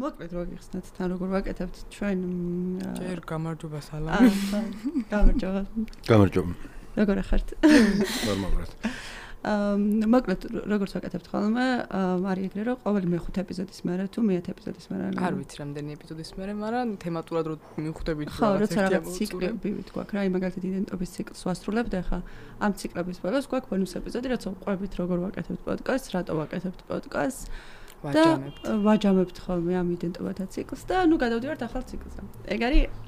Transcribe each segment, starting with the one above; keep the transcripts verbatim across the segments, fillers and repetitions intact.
მოკლედ რო გიხსნათ თან როგორ ვაკეთებთ ჩვენ ჯერ გამარჯობა სალამი გამარჯობა გამარჯობა როგორ ხართ ნორმალურად აა მოკლედ როგორც ვაკეთებთ ხოლმე არის ეგრე რომ ყოველი მეხუთე ეპიზოდის მერე თუ მეათე ეპიზოდის მერე არ ვიცი რამდენი ეპიზოდის მერე მაგრამ თემატურად რო მივხვდებით ხო როცა რაღაც ციკლები გვაქვს რა მაგალითად იდენტობის ციკლს ვასრულებთ ახლა ამ ციკლების ბოლოს გვაქვს ბონუს ეპიზოდი რაც ვყვებით როგორ ვაკეთებთ პოდკასტს რატო ვაკეთებთ პოდკასტს ვაჯამებთ ვაჯამებთ ხოლმე ამ იდენტობათა ციკლს და ნუ გადავდივართ ახალ ციკლზე ეგ არის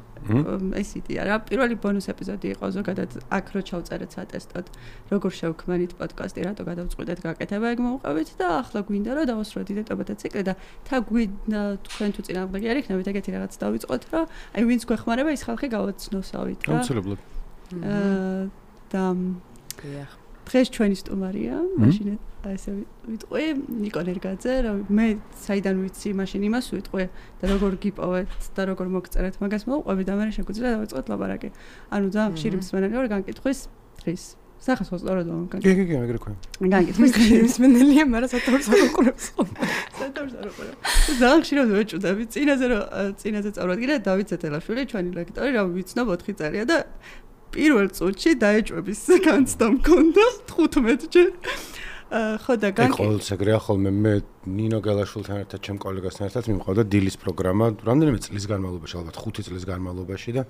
ეს იდეა რა პირველი ბონუს ეპიზოდი იყო ზოგადად აქ რო ჩავწერეთ სატესტოდ როგორ შევქმნით პოდკასტი რატო გადავწყვიტეთ გაკეთება ეგ მოვყავით და ახლა გვინდა რომ დავასრულოთ იდენტობათა ციკლი და თა გვინდა თქვენ თუ წინააღმდეგი არ იქნებით ეგეთი რაღაც დავიწყოთ რომ აი ვინც გვეხმარება ის ხალხი გავაცნოსავით რა აუცილებლად და დღეს ჩვენი სტუმარია მაშინ ასე ვიტყვი ნიკო ნერგაძე რა მე საიდან ვიცი მაშინ იმას ვიტყვი და როგორ გიპოვეთ და როგორ მოგწერეთ მაგას მოვყვები და მე შეგვიძლია დავიწყოთ ლაპარაკი ანუ ძალიან ხშირი მსმენელი ვარ განკითხვის დღეს სახას ვასწორებ კი კი კი ეგრე ქვია განკითხვის მსმენელია მაგრამ სათავს არ უყურებს სათავს არ უყურებს ძალიან ხშირად ვეჭუდები წინაზე რომ წინაზე წავადგინე დავით ზეთელაშვილი ჩვენი ლექტორი რა ვიცნობ ოთხი წელია და პირველ წუთში დაეჭვების განცდა მქონდა თხუთმეტჯერ ხო და განკი ყოველს ეგრეა ხოლმე მე ნინო გელაშვილთან ერთად ჩემ კოლეგასთან ერთად მიმყავდა დილის პროგრამა რამდენიმე წლის განმავლობაში ალბათ ხუთი წლის განმავლობაში და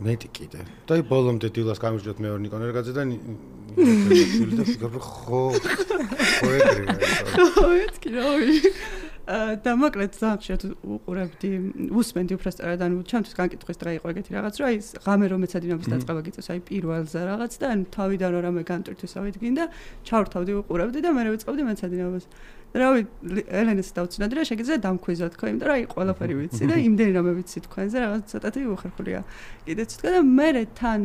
მეტი კიდე და ბოლომდე დილას გამიჯდოთ მე ნიკო ნერგაძე და ნინო და ფიქრობ ხო ხო ეგრეა ხო ეთქი რავი და მოკლედ ძალიან ხშირად უყურებდი უსმენდი უბრალოდ ანუ ჩემთვის განკითხვის დღე იყო ეგეთი რაღაც რომ აი ღამე რომ მეცადინობის დაწყება გიწევს აი პირველზე რაღაც და ანუ თავიდან რომ რამე განტვირთვისავით გინდა ჩავრთავდი უყურებდი და მე ვიწყებდი მეცადინებას რავი ელენეს დავწნადი რა შეგიძლია დამქვიზოთ ხო იმიტომ რომ აი ყველაფერი ვიცი და იმდენი რამე ვიცი თქვენზე რაღაც ცოტათი უხერხულია კიდეც თქვა და მე თან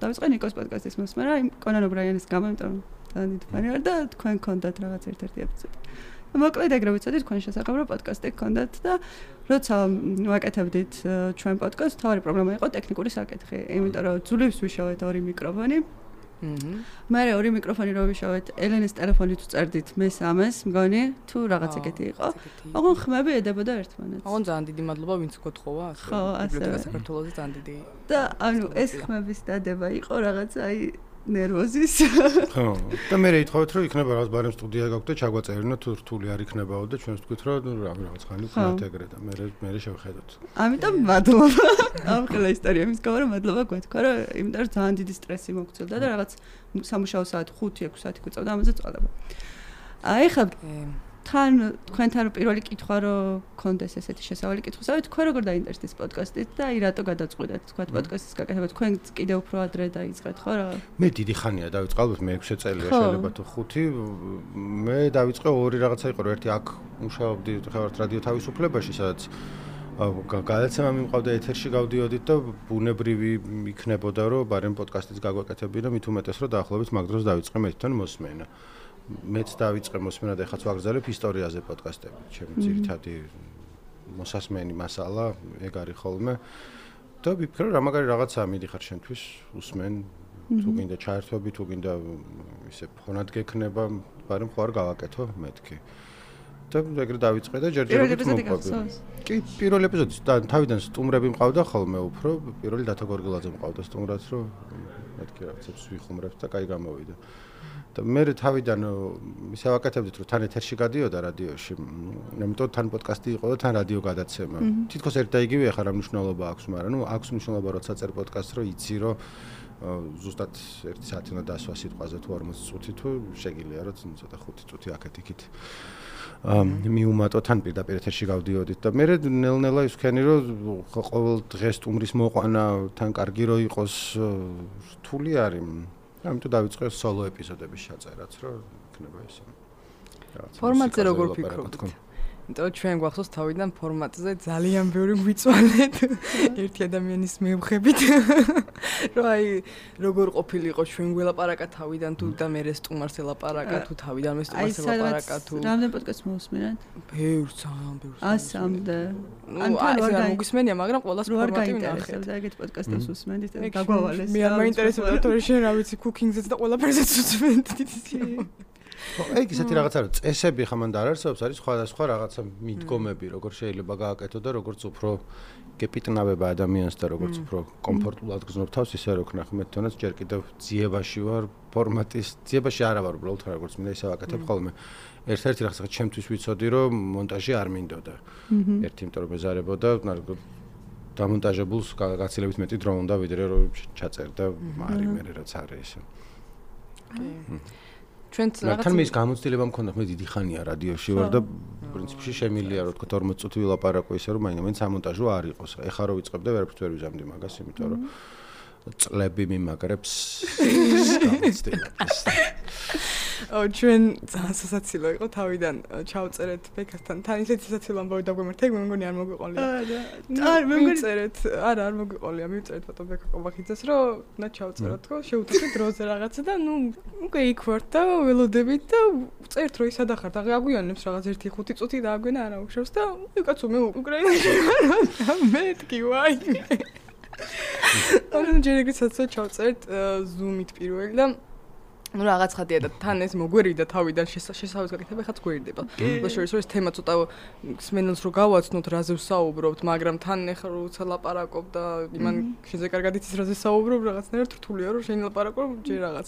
დავიწყე ნიკოს პოდკასტის მოსმენა იმ კონან ობრაიანის გამო იმიტომ თან დიდფანი ვარ და თქვენ გქონდათ რაღაც ერთ-ერთი ეპიზოდი მოკლედ ეგრე ვიცოდი თქვენ შესაძლოა რომ პოდკასტი გქონდათ და როცა ვაკეთებდით ჩვენ პოდკასტს თავი პრობლემა იყო ტექნიკური საკითხი იმიტომ რომ ძვლებს ვიშავეთ ორი მიკროფონი მე ორი მიკროფონი რო ვიშავეთ ელენეს ტელეფონით ვწერდით მე სამეს მგონი თუ რაღაც ეგეთი იყო ოღონ ხმები ედებოდა ერთმანეთს ოღონ ძალიან დიდი მადლობა ვინც გოთხოვა ხო ასე საქართველოს ძალიან დიდი და ანუ ეს ხმების დადება იყო რაღაც აი ნერვოზის ხო და მე ითხოვეთ რომ იქნება რაღაც ბარემ სტუდია გაქვთ და ჩაგვაწერინოთ თუ რთული არ იქნებაო და ჩვენს თქვით რომ ნუ რაღაც ხანი ვქნათ ეგრე და მე მე შევხედოთ ამიტომ მადლობა ამ ყველა ისტორია იმის გამო რომ მადლობა გვეთქვა რომ იმიტომ რომ ძალიან დიდი სტრესი მოგცილდა და რაღაც სამუშაო საათი ხუთი ექვსი საათი გვიწევდა ამაზე წვალება აი ხა თან თქვენთან პირველი კითხვა რომ გქონდეს ესეთი შესავალი კითხვისავით თქვენ როგორ დაინტერესდით პოდკასტით და აი რატო გადაწყვიტეთ თქვა პოდკასტის გაკეთება თქვენ კიდევ უფრო ადრე დაიწყეთ ხო რა მე დიდი ხანია დავიწყე ალბათ მე ექვსი წელია შეიძლება თუ ხუთი მე დავიწყე ორი რაღაცა იყო რომ ერთი აქ მუშაობდი ხევართ რადიო თავისუფლებაში სადაც გადაცემა მიმყავდა ეთერში გავდიოდით და ბუნებრივი იქნებოდა რომ ბარემ პოდკასტიც გაგვაკეთებინა მით უმეტეს რომ დაახლოებით მაგ დროს დავიწყე მე თვითონ მოსმენა მეც დავიწყე მოსმენა და ეხაც ვაგრძელებ ისტორიაზე პოდკასტები. ჩემი ძირითადი მოსასმენი მასალა ეგ არის ხოლმე. და ვიფიქრე რა მაგარი რაღაცაა მიდიხარ შენთვის უსმენ თუ გინდა ჩაერთვები თუ გინდა ისე ფონად გექნება, მაგრამ ხო არ გავაკეთო მეთქი. და ეგრე დავიწყე და ჯერჯერობით მოვყვები. კი, პირველ ეპიზოდში თავიდან სტუმრები მყავდა ხოლმე უფრო, პირველი დათო გორგილაძე მყავდა სტუმრად, რომ მეთქი რაღაცებს ვიხუმრებთ და კაი გამოვიდა. და მე თავიდან ისე ვაკეთებდით რომ თან ეთერში გადიოდა რადიოში. ამიტომ თან პოდკასტი იყო და თან რადიო გადაცემა. თითქოს ერთ და იგივე ახლა რა მნიშვნელობა აქვს, მაგრამ ნუ აქვს მნიშვნელობა როცა წერ პოდკასტს რომ იცი რომ ზუსტად ერთი საათი უნდა დასვა სიტყვაზე თუ ორმოცი წუთი თუ შეგიძლია რომ ცოტა ხუთი წუთი აქეთ იქით. მიუმატო თან პირდაპირ ეთერში გავდიოდით და მე ნელ-ნელა ისქენი რომ ყოველ დღეს სტუმრის მოყვანა თან კარგი რო იყოს რთული არის. ამიტომ დავიწყე სოლო ეპიზოდების შეწერაც, რომ იქნება ესე. ფორმატზე როგორ ფიქრობთ? იმიტომ ჩვენ გვახსოვს თავიდან ფორმატზე ძალიან ბევრი გვიწვალეთ ერთი ადამიანის მევხებით. რომ აი როგორ ყოფილიყო ჩვენ გველაპარაკა თავიდან თუ და მე სტუმარს ელაპარაკა თუ თავიდან მე სტუმარს ელაპარაკა თუ რამდენ პოდკასტს მოусმენთ? ბევრს, ძალიან ბევრს. ასამდე. ან თან არ გამოგისმენია, მაგრამ ყოველას ფორმატი ვნახეთ. და ეგეთ პოდკასტებს უსმენთ და გაგვავალეს. მე არ მაინტერესებდა თორე შენ რა ვიცი, cooking-ზეც და ყველაფერზეც უსმენთ. ხო, ეგ ისეთი რაღაცა რომ წესები ხა მან და არ არსებობს, არის სხვადასხვა რაღაცა მიდგომები, როგორ შეიძლება გააკეთო და როგორც უფრო გეპიტნავება ადამიანს და როგორც უფრო კომფორტულად გზნობ თავს, ისე რო ქნა ხმეთ თონაც ჯერ კიდევ ძიებაში ვარ, ფორმატის ძიებაში არა ვარ უბრალოდ როგორც მინდა ისე ვაკეთებ ხოლმე. ერთ-ერთი რაღაცა ჩემთვის ვიცოდი რომ მონტაჟი არ მინდოდა. ერთი იმიტომ რომ მეზარებოდა დამონტაჟებულს გაცილებით მეტი დრო უნდა ვიდრე რომ ჩაწერდა მარი მე რაც არის ესე. ჩვენც რაღაც თან მის გამოცდილება მქონდა მე დიდი ხანია რადიოში ვარ და პრინციპში შემილია რომ თქვა ორმოც წუთი ვილაპარაკო ისე რომ მაინც ამონტაჟო არ იყოს. ეხა რო ვიწყებ და ვერაფერს ვერ ვიზამდი მაგას, იმიტომ რომ წლები მიმაგრებს გამოცდილებას. ო ჩვენ ძალიან სასაცილო იყო თავიდან ჩავწერეთ ბექასთან თან ისეთი სასაცილო ამბავი დაგვემართა მე მგონი არ მოგვიყოლია არ მე მგონი წერეთ არა არ მოგვიყოლია მივწერეთ ფოტო ბექა ყობახიძეს რომ და ჩავწეროთ თქო შევუწევთ დროზე რაღაცა და ნუ უკვე იქ ვართ და ველოდებით და წერთ რომ ისადა ხართ აგვიანებს რაღაც ერთი ხუთი წუთი დააგვენა არა უხშავს და კაცო მე უკრაინაში ვარ და მეთქი ვაი ანუ ჯერ ეგრე საცო ჩავწერეთ ზუმით პირველი და ну რაღაც ხადია და თან ეს მოგვერიდა თავიდან შესაძლოა გაკეთება ხაც გვერდება. ლაშორის რომ ეს თემა ცოტა სმენელს რო გავაცნოთ რაზე ვსაუბრობთ, მაგრამ თან ეხლა როცა ლაპარაკობ და იმან შეზე კარგად იცის რაზე საუბრობ, რაღაცნაირად რთულია რომ შენ ლაპარაკობ ჯერ რაღაც.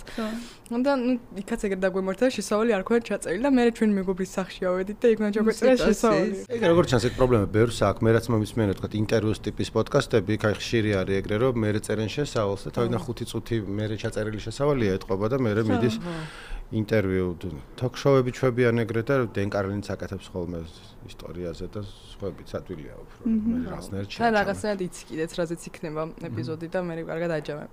და ну იქაც ეგრე დაგვემართა შესავალი არ ქონდა ჩაწერილი და მე ჩვენ მეგობრის სახში ავედით და იქ უნდა ჩაგვეწერა შესავალი. ეგ როგორც ჩანს ეგ პრობლემა ბევრს აქვს, მე რაც მომისმენე თქვა ინტერვიუს ტიპის პოდკასტები, იქ აი ხშირი არის ეგრე რომ მე წერენ შესავალს და თავიდან ხუთი წუთი მე ჩაწერილი შესავალია ეთყობა და მე მიდის ინტერვიუ თოქ-შოუები ჩვებიან ეგრე და დენ კარლინიც აკეთებს ხოლმე ისტორიაზე და სხვაებიც ადვილია უფრო მე რაღაცნაირად და რაღაცნაირად იცი კიდეც რაზეც იქნება ეპიზოდი და მე კარგად აჯამებ.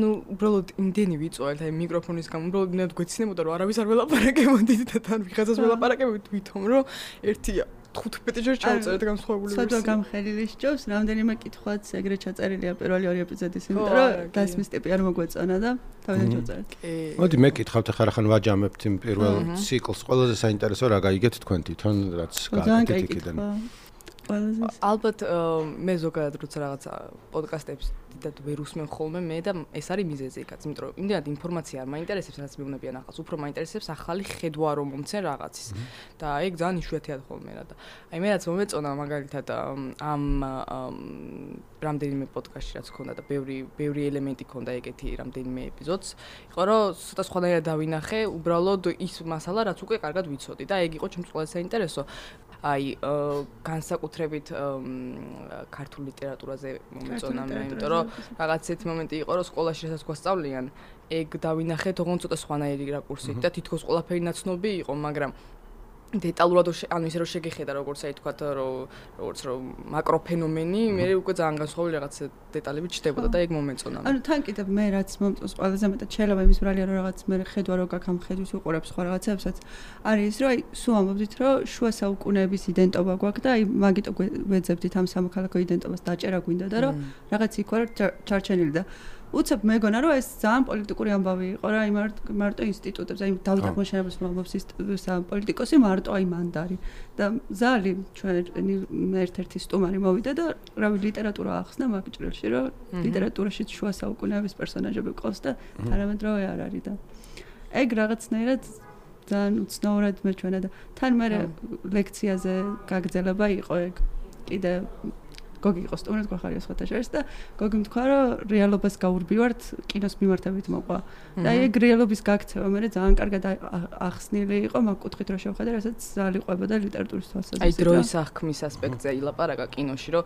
ну უბრალოდ იმდენი ვიწოვალთ აი მიკროფონის გამო უბრალოდ ნედ გვეცინებოდა რომ არავის არ ველაპარაკებოდით და თან ვიღაცას ველაპარაკებოდით თვითონ რომ ერთი ხუთმეტი ჯერ ჩავწერეთ განსხვავებული ვერსია. ცოტა გამხელილი სჯობს, რამდენიმე კითხვაც ეგრე ჩაწერილია პირველი ორი ეპიზოდის, იმიტომ რომ დასმის ტიპი არ მოგვეწონა და თავიდან ჩავწერეთ. მოდი მე კითხავთ ახლა ხან ვაჯამებთ იმ პირველ ციკლს. ყველაზე საინტერესო რა გაიგეთ თქვენ თვითონ რაც გააკეთეთ იქიდან. ალბათ მე ზოგადად როცა რაღაცა პოდკასტებს დიდად ვერ უსმენ ხოლმე მე და ეს არის მიზეზი იქაც, იმიტომ რომ იმდენად ინფორმაცია არ მაინტერესებს, რაც მეუბნებიან ახალს, უფრო მაინტერესებს ახალი ხედვა რომ მომცენ რაღაცის. და ეგ ძალიან იშვიათია ხოლმე რა და აი მე რაც მომეწონა მაგალითად ამ რამდენიმე პოდკასტში რაც ქონდა და ბევრი ბევრი ელემენტი ქონდა ეგეთი რამდენიმე ეპიზოდს, იყო რომ ცოტა სხვანაირად დავინახე, უბრალოდ ის მასალა რაც უკვე კარგად ვიცოდი და ეგ იყო ჩემს ყველაზე საინტერესო. აი განსაკუთრებით ქართულ ლიტერატურაზე მომეწონა მე, იმიტომ რომ რაღაც ერთი მომენტი იყო რომ სკოლაში რასაც გვასწავლიან, ეგ დავინახე თողონ ცოტა სხვანაირი რაკურსით და თითქოს ყველაფერი ნაცნობი იყო, მაგრამ დეტალურად ანუ ისე რომ შეგეხედა როგორც აი თქვა რომ როგორც რომ მაკროფენომენი, მე უკვე ძალიან განსხვავებული რაღაც დეტალები ჩნდებოდა და ეგ მომეწონა. ანუ თან კიდევ მე რაც მომწონს ყველაზე მეტად შეიძლება იმის ბრალია რომ რაღაც მე ხედვა რო გაქვს ამ ხედვის უყურებს სხვა რაღაცებსაც არის ის რომ აი სულ ამბობდით რომ შუა საუკუნეების იდენტობა გვაქვს და აი მაგიტო ვეძებდით ამ სამოქალაქო იდენტობას დაჭერა გვინდა და რომ რაღაც იქ ვარ ჩარჩენილი და უცებ მეგონა რომ ეს ძალიან პოლიტიკური ამბავი იყო რა, აი მარტო ინსტიტუტებს, აი დავით აღმაშენებელს მომბობს ის პოლიტიკოსი მარტო აი მანდარი და ზალი ჩვენ ერთ-ერთი სტუმარი მოვიდა და რავი ლიტერატურა ახსნა მაგ ჭრილში რომ ლიტერატურაში შუა საუკუნეების პერსონაჟები ყავს და თანამედროვე არ არის და ეგ რაღაცნაირად ძალიან უცნაურად მეჩვენა და თან მე ლექციაზე გაგრძელება იყო ეგ კიდე გოგი იყო სტუმრად გვახარია სხვათა შორის და გოგი თქვა რომ რეალობას გაურბივართ კინოს მიმართებით მოყვა და აი ეგ რეალობის გაქცევა მე ძალიან კარგად ახსნილი იყო მაგ კუთხით რომ შევხედე რასაც ზალი ყვებოდა ლიტერატურის თვალსაზრისით. აი დროის აღქმის ასპექტზე ილაპარაკა კინოში რომ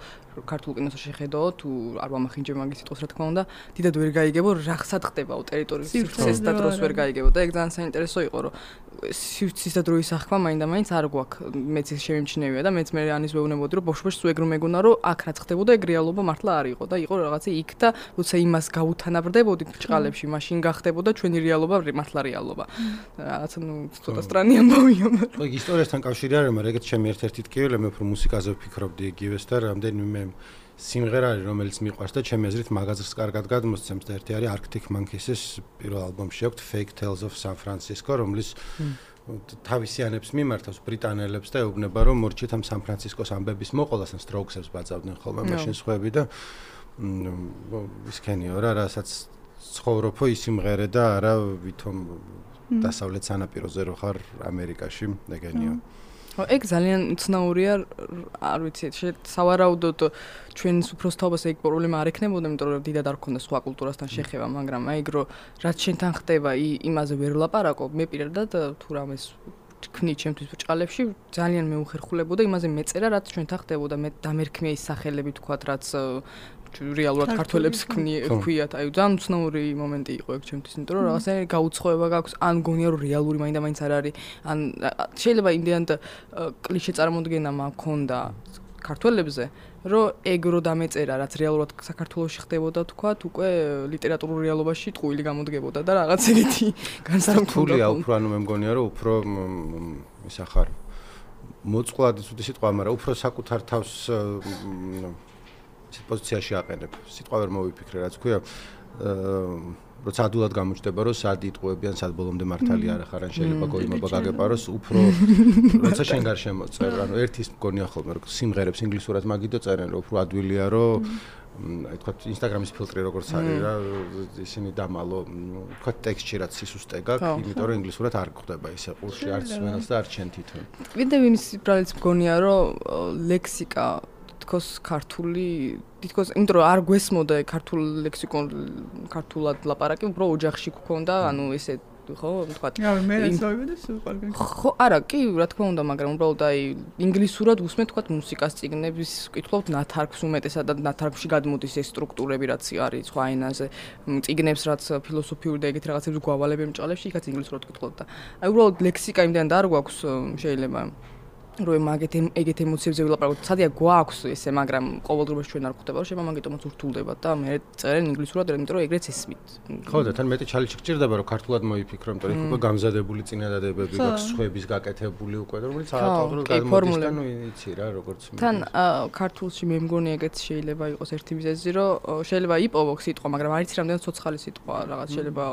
ქართულ კინოს შეხედო თუ არ ვამახინჯე მაგის სიტყვას რა თქმა უნდა დიდად ვერ გაიგებო რახსად ხდებაო ტერიტორიის სივრცეს და დროს ვერ გაიგებო და ეგ ძალიან საინტერესო იყო რომ სივრცის და დროის აღქმა მაინდა-მაინც არ გვაქვს მეც ის შემიმჩნევია და მეც მე ანის ვეუბნებოდი რომ ბოშ-ბოშ სულ ეგ რომ მეგონა რომ აქ რაც ხდებოდა ეგ რეალობა მართლა არ იყო და იყო რაღაცა იქ და როცა იმას გაუთანაბრდებოდით ბრჭყალებში მაშინ გახდებოდა ჩვენი რეალობა მართლა რეალობა რაღაცა ნუ ცოტა სტრანი ამბავია მაგრამ ეგ ისტორიასთან კავშირი არის მაგრამ ეგეც ჩემი ერთ-ერთი ტკივილი მე უფრო მუსიკაზე ვფიქრობდი იგივეს და რამდენიმე სიმღერა არის რომელიც მიყვარს და ჩემი აზრით მაგაზრს კარგად გადმოსცემს და ერთი არის Arctic Monkeys-ის პირველ ალბომში აქვს Fake Tales of San Francisco რომლის თავისიანებს მიმართავს ბრიტანელებს და ეუბნება რომ მორჩით ამ სან ფრანცისკოს ამბების მოყოლას ან სტროუქსებს ბაძავდნენ ხოლმე მაშინ სხვები და ისქენიო რა რასაც ცხოვრობო ის იმღერე და არა ვითომ დასავლეთ სანაპიროზე რო ხარ ამერიკაში, ეგენიო. ხო, ეგ ძალიან ცნაურია, არ ვიცი, სავარაუდოდ ჩვენს უფროსთაობას ეგ პრობლემა არ ექნებოდა, იმიტომ რომ დიდად არ ქონდა სხვა კულტურასთან შეხება, მაგრამ აი ეგ რო რაც შენთან ხდება, იმაზე ვერ ვლაპარაკობ, მე პირადად თუ რამეს თქვი ჩემთვის ბრჭყალებში ძალიან მეუხერხულებოდა იმაზე მეწერა, რაც ჩვენთან ხდებოდა, მე დამერქმია ის სახელები თქვათ, რაც რეალურად ქართველებს ქვიათ, აი ძალიან უცნაური მომენტი იყო ეგ ჩემთვის, იმიტომ რომ რაღაცა გაუცხოება გაქვს, ან გონია რომ რეალური მაინდა-მაინც არ არის, ან შეიძლება იმდენად კლიშე წარმოდგენა მაქონდა ქართველებზე, რომ ეგ რო დამეწერა, რაც რეალურად საქართველოში ხდებოდა თქვათ, უკვე ლიტერატურულ რეალობაში ტყუილი გამოდგებოდა და რაღაც ეგეთი განსაკუთრებულია. უფრო ანუ მე მგონია რომ უფრო ისა ხარ მოწყვლადი ცუდი სიტყვა, მაგრამ უფრო საკუთარ თავს ისეთ პოზიციაში აყენებ. სიტყვა ვერ მოვიფიქრე, რაც ქვია, როცა ადულად გამოჩნდება, რომ სად იტყუებიან, სად ბოლომდე მართალი არ ახარ, ან შეიძლება გოიმობა გაგეპაროს, უფრო როცა შენ გარშემო წერ, ანუ ერთის მგონია ხოლმე, რომ სიმღერებს ინგლისურად მაგიდო წერენ, რომ უფრო ადვილია, რომ აი თქვა ინსტაგრამის ფილტრი როგორც არის რა, ისინი დამალო, თქვა ტექსტში რაც სისუსტე გაქვს, იმიტომ რომ ინგლისურად არ გვხდება ისე ყურში არც ვენას და არც შენ თვითონ. კიდევ იმის ბრალიც მგონია, რომ ლექსიკა თქოს ქართული თითქოს იმიტომ რომ არ გვესმოდა ქართულ ლექსიკონ ქართულად ლაპარაკი უფრო ოჯახში გქონდა ანუ ესე ხო თქვა რა მე ეცოვებდი სულ ყველგან ხო არა კი რა თქმა უნდა მაგრამ უბრალოდ აი ინგლისურად უსმენ თქვა მუსიკას წიგნების კითხულობთ ნათარგს უმეტესად და ნათარგში გადმოდის ეს სტრუქტურები რაც არის სხვა ენაზე წიგნებს რაც ფილოსოფიური და ეგეთ რაღაცებს გვავალებენ ჭალებში იქაც ინგლისურად კითხულობთ და აი უბრალოდ ლექსიკა იმდან და არ გვაქვს შეიძლება რომ მაგეთ ეგეთ ემოციებზე ვილაპარაკოთ. Სადია გვაქვს ესე, მაგრამ ყოველდღიურად ჩვენ არ გვხვდება, რომ შეიძლება მაგიტომაც ურთულდება და მე წერენ ინგლისურად, იმიტომ რომ ეგრეც ესმით. ხო და თან მეტი ჩალენჯი გჭირდება, რომ ქართულად მოიფიქრო, იმიტომ რომ უკვე გამზადებული წინადადებები გაქვს, სხვების გაკეთებული უკვე, რომელიც ავტომატურად გადმოდის და ნუ იცი რა, როგორც მე. თან ქართულში მე მგონი ეგეც შეიძლება იყოს ერთი მიზეზი, რომ შეიძლება იპოვო სიტყვა, მაგრამ არ იცი რამდენად ცოცხალი სიტყვა, რაღაც შეიძლება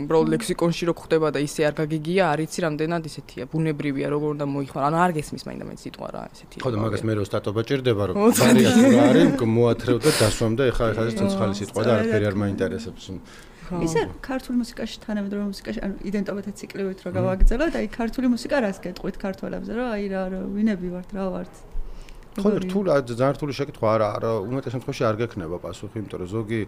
უბრალოდ ლექსიკონში რო ხდება და ისე არ გაგიგია, არ იცი რამდენად ისეთია, ბუნებრივია, როგორ უნდა მოიხმარ. ანუ არ გესმის მაინდა-მაინც სიტყვა რა ესეთი. ხო და მაგას მე რო სტატობა ჭირდება რომ ვარიატი რა არის, მოათრევ და დასვამ და ეხლა ეს არის ცოცხალი სიტყვა და არაფერი არ მაინტერესებს. ისე ქართული მუსიკაში თანამედროვე მუსიკაში ანუ იდენტობათა ციკლივით რო გავაგრძელოთ, აი ქართული მუსიკა რას გეტყვით ქართველებზე, რომ აი რა ვინები ვართ, რა ვართ. ხო რთული ძალიან რთული შეკითხვა არა, არა უმეტეს შემთხვევაში არ გექნება პასუხი, იმიტომ რომ ზოგი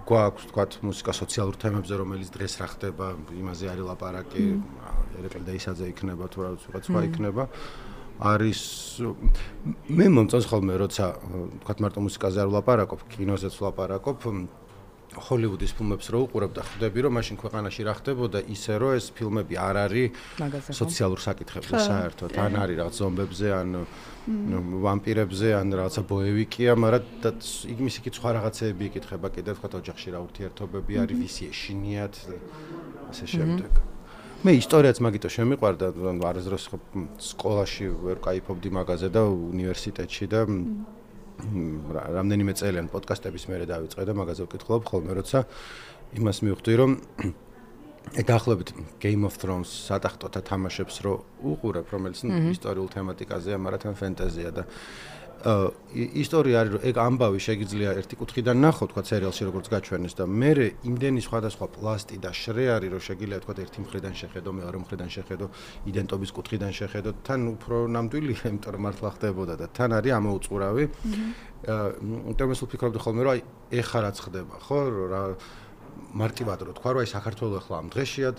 გვაქვს თქვათ მუსიკა სოციალურ თემებზე, რომელიც დღეს რა ხდება, იმაზე არის ლაპარაკი, ერეკლე და ისაძე იქნება თუ რაღაც სხვა იქნება. არის მე მომწონს ხოლმე როცა თქვათ მარტო მუსიკაზე არ ვლაპარაკობ, კინოზეც ვლაპარაკობ, ჰოლივუდის ფილმებს რო უყურებ და ხვდები რომ მაშინ ქვეყანაში რა ხდებოდა ისე რომ ეს ფილმები არ არის სოციალურ საკითხებზე საერთოდ, ან არის რაღაც ზომბებზე, ან ვამპირებზე, ან რაღაცა ბოევიკია, მაგრამ იმის იქით სხვა რაღაცეები იკითხება კიდევ თქვათ ოჯახში რა ურთიერთობები არის, ვისი ეშინიათ ასე შემდეგ. მე ისტორიაც მაგიტო შემიყვარდა, არასდროს სკოლაში ვერ კაიფობდი მაგაზე და უნივერსიტეტში და რამდენიმე წელიან პოდკასტების მერე დავიწყე და მაგაზე ვკითხულობ ხოლმე, როცა იმას მივხვდი, რომ დაახლოებით Game of Thrones სატახტოთა თამაშებს რო უყურებ, რომელიც ისტორიულ თემატიკაზეა, მაგრამ თან ფენტეზია და ისტორია არის, რომ ეგ ამბავი შეიძლება ერთი კუთხიდან ნახო, თქვა სერიალში როგორც გაჩვენეს და მე იმდენი სხვადასხვა პლასტი და შრე არის, რომ შეიძლება თქვა ერთი მხრიდან შეხედო, მეორე მხრიდან შეხედო, იდენტობის კუთხიდან შეხედო, თან უფრო ნამდვილია, იმიტომ რომ მართლა ხდებოდა და თან არის ამოუწყურავი. იმიტომ რომ ვფიქრობდი ხოლმე, რომ აი ეხა რაც ხდება, ხო, რა მარტივად რო თქვა, რომ აი საქართველოს ახლა ამ დღეშია,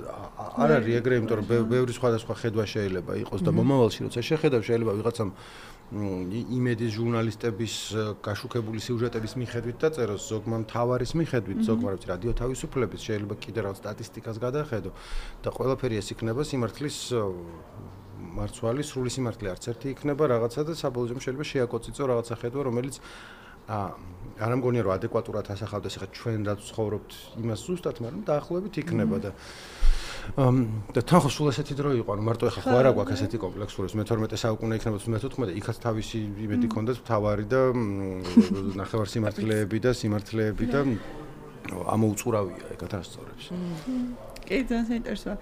არ არის ეგრე, იმიტომ რომ ბევრი სხვადასხვა ხედვა შეიძლება იყოს და მომავალში როცა შეხედავ, შეიძლება ვიღაცამ იმედის ჟურნალისტების გაშუქებული სიუჟეტების მიხედვით დაწეროს, ზოგმა მთავარის მიხედვით, ზოგმა რა ვიცი, რადიო თავისუფლების, შეიძლება კიდე რაღაც სტატისტიკას გადახედო და ყველაფერი ეს იქნება სიმართლის მარცვალი, სრული სიმართლე არც ერთი იქნება რაღაცა და საბოლოო ჯამში შეიძლება შეაკოწიწო რაღაცა ხედვა, რომელიც არ ამგონია რომ ადეკვატურად ასახავდეს ახლა ჩვენ რაც ცხოვრობთ იმას ზუსტად, მაგრამ დაახლოებით იქნება და და თან ხო სულ ესეთი დრო იყო, ანუ მარტო ახლა ხო არა გვაქვს ესეთი კომპლექსური, მეთორმეტე საუკუნე იქნება თუ მეთოთხმეტე, იქაც თავისი იმედი ქონდათ მთავარი და ნახევარ სიმართლეები და სიმართლეები და ამოუწყურავია ეგ ათასწორებს. კი, ძალიან საინტერესოა.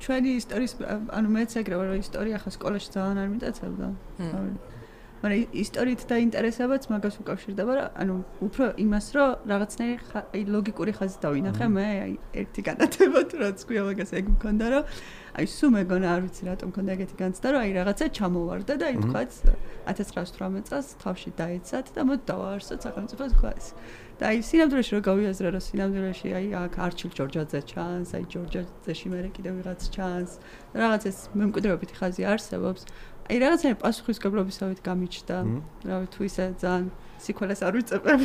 ჩვენი ისტორიის, ანუ მეც ეგრევე რომ ისტორია ხა სკოლაში ძალიან არ მიტაცებდა. მაგრამ ისტორიით დაინტერესებაც მაგას უკავშირდება, ანუ უფრო იმას, რომ რაღაცნაირი აი ლოგიკური ხაზი დავინახე მე, აი ერთი განათება თუ რაც ქვია მაგას ეგ მქონდა, რომ აი სულ მეგონა არ ვიცი რატომ მქონდა ეგეთი განცდა, რომ აი რაღაცა ჩამოვარდა და აი თქვაც ათას ცხრაას ოცდაოთხ წელს თავში დაეცათ და მოდი დავაარსოთ სახელმწიფოს თქვა ეს. და აი სინამდვილეში რო გავიაზრე, რომ სინამდვილეში აი აქ არჩილ ჯორჯაძე ჩანს, აი ჯორჯაძეში მერე კიდევ ვიღაც ჩანს, რაღაც ეს მემკვიდრეობითი ხაზი არსებობს. აი რაღაცნაირი პასუხისგებლობისავით გამიჩნდა, რავი თუ ისე ძალიან სიკვდილს არ ვიწებებ.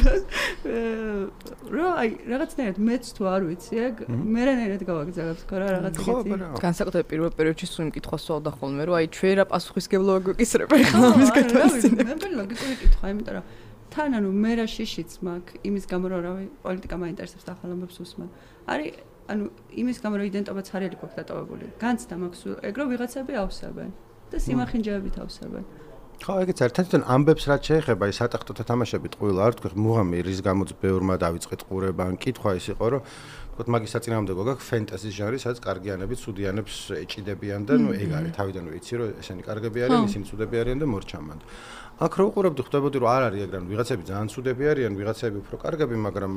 რო აი რაღაცნაირად მეც თუ არ ვიცი, ეგ მერანაირად გავაგზავნებ თქო რა რაღაც ეგეთი. განსაკუთრებით პირველ პერიოდში სულ იმ კითხვას ვსვავდა ხოლმე, რომ აი ჩვენ რა პასუხისგებლობა გვეკისრება ხა ამის გათვალისწინებით. მე მე ლოგიკური კითხვა, იმიტომ რომ თან ანუ მე რა შიშიც მაქვს იმის გამო რომ რავი პოლიტიკა მაინტერესებს და ახალ ამბებს უსმენ. არის ანუ იმის გამო რომ იდენტობაც არ არის გვაქვს დატოვებული. განცდა მაქვს ეგ რომ ვიღაცები ავსებენ და სიმახინჯეებით ავსებენ. ხო, ეგეც ერთადერთი ამბებს რაც შეეხება ის სატახტოთა თამაშები ტყუილ არ თქვი მუღამი რის გამოც ბევრმა დავიწყეთ ყურება ან კითხვა ის იყო რომ თქო მაგის საწინააღმდეგო გაქვს ფენტაზის ჟანრი სადაც კარგიანები ცუდიანებს ეჭიდებიან და ნუ ეგ არის თავიდან ვიცი რომ ესენი კარგები არიან ისინი ცუდები არიან და მორჩამან აქ რო უყურებდი ხვდებოდი რომ არ არის ეგ რამ ვიღაცები ძალიან ცუდები არიან ვიღაცები უფრო კარგები მაგრამ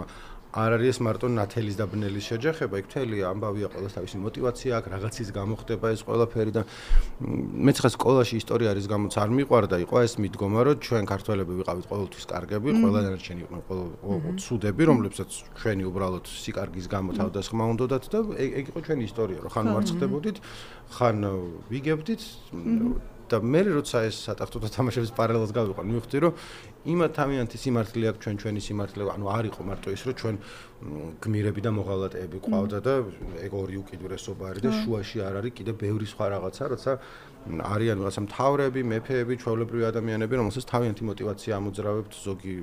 არ არის ეს მარტო ნათელის და ბნელის შეჯახება იქ მთელი ამბავია ყოველს თავისი мотиваცია აქვს რაღაცის გამო ხდება ეს ყველაფერი და მეც ხა სკოლაში ისტორია არის გამოც არ მიყვარდა იყო ეს მიდგომა რომ ჩვენ ქართველები ვიყავით ყოველთვის კარგები ყველა დანარჩენი იყვნენ ყოველ ცუდები რომლებსაც ჩვენი უბრალოდ სიკარგის გამო თავდასხმა უნდათ და ეგ იყო ჩვენი ისტორია რომ ხან მარცხდებოდით ხან ვიგებდით და მე როცა ეს სატახტოთა თამაშების პარალელს გავიყვან მივხვდი რომ იმა თავიანთი სიმართლე აქვს ჩვენ ჩვენი სიმართლე ანუ არ იყო მარტო ის რომ ჩვენ გმირები და მოღალატეები ყავდა და ეგ ორი უკიდურესობა არის და შუაში არ არის კიდე ბევრი სხვა რაღაცა როცა არიან რაღაცა მთავრები მეფეები ჩვეულებრივი ადამიანები რომელსაც თავიანთი мотиваცია ამოძრავებთ ზოგი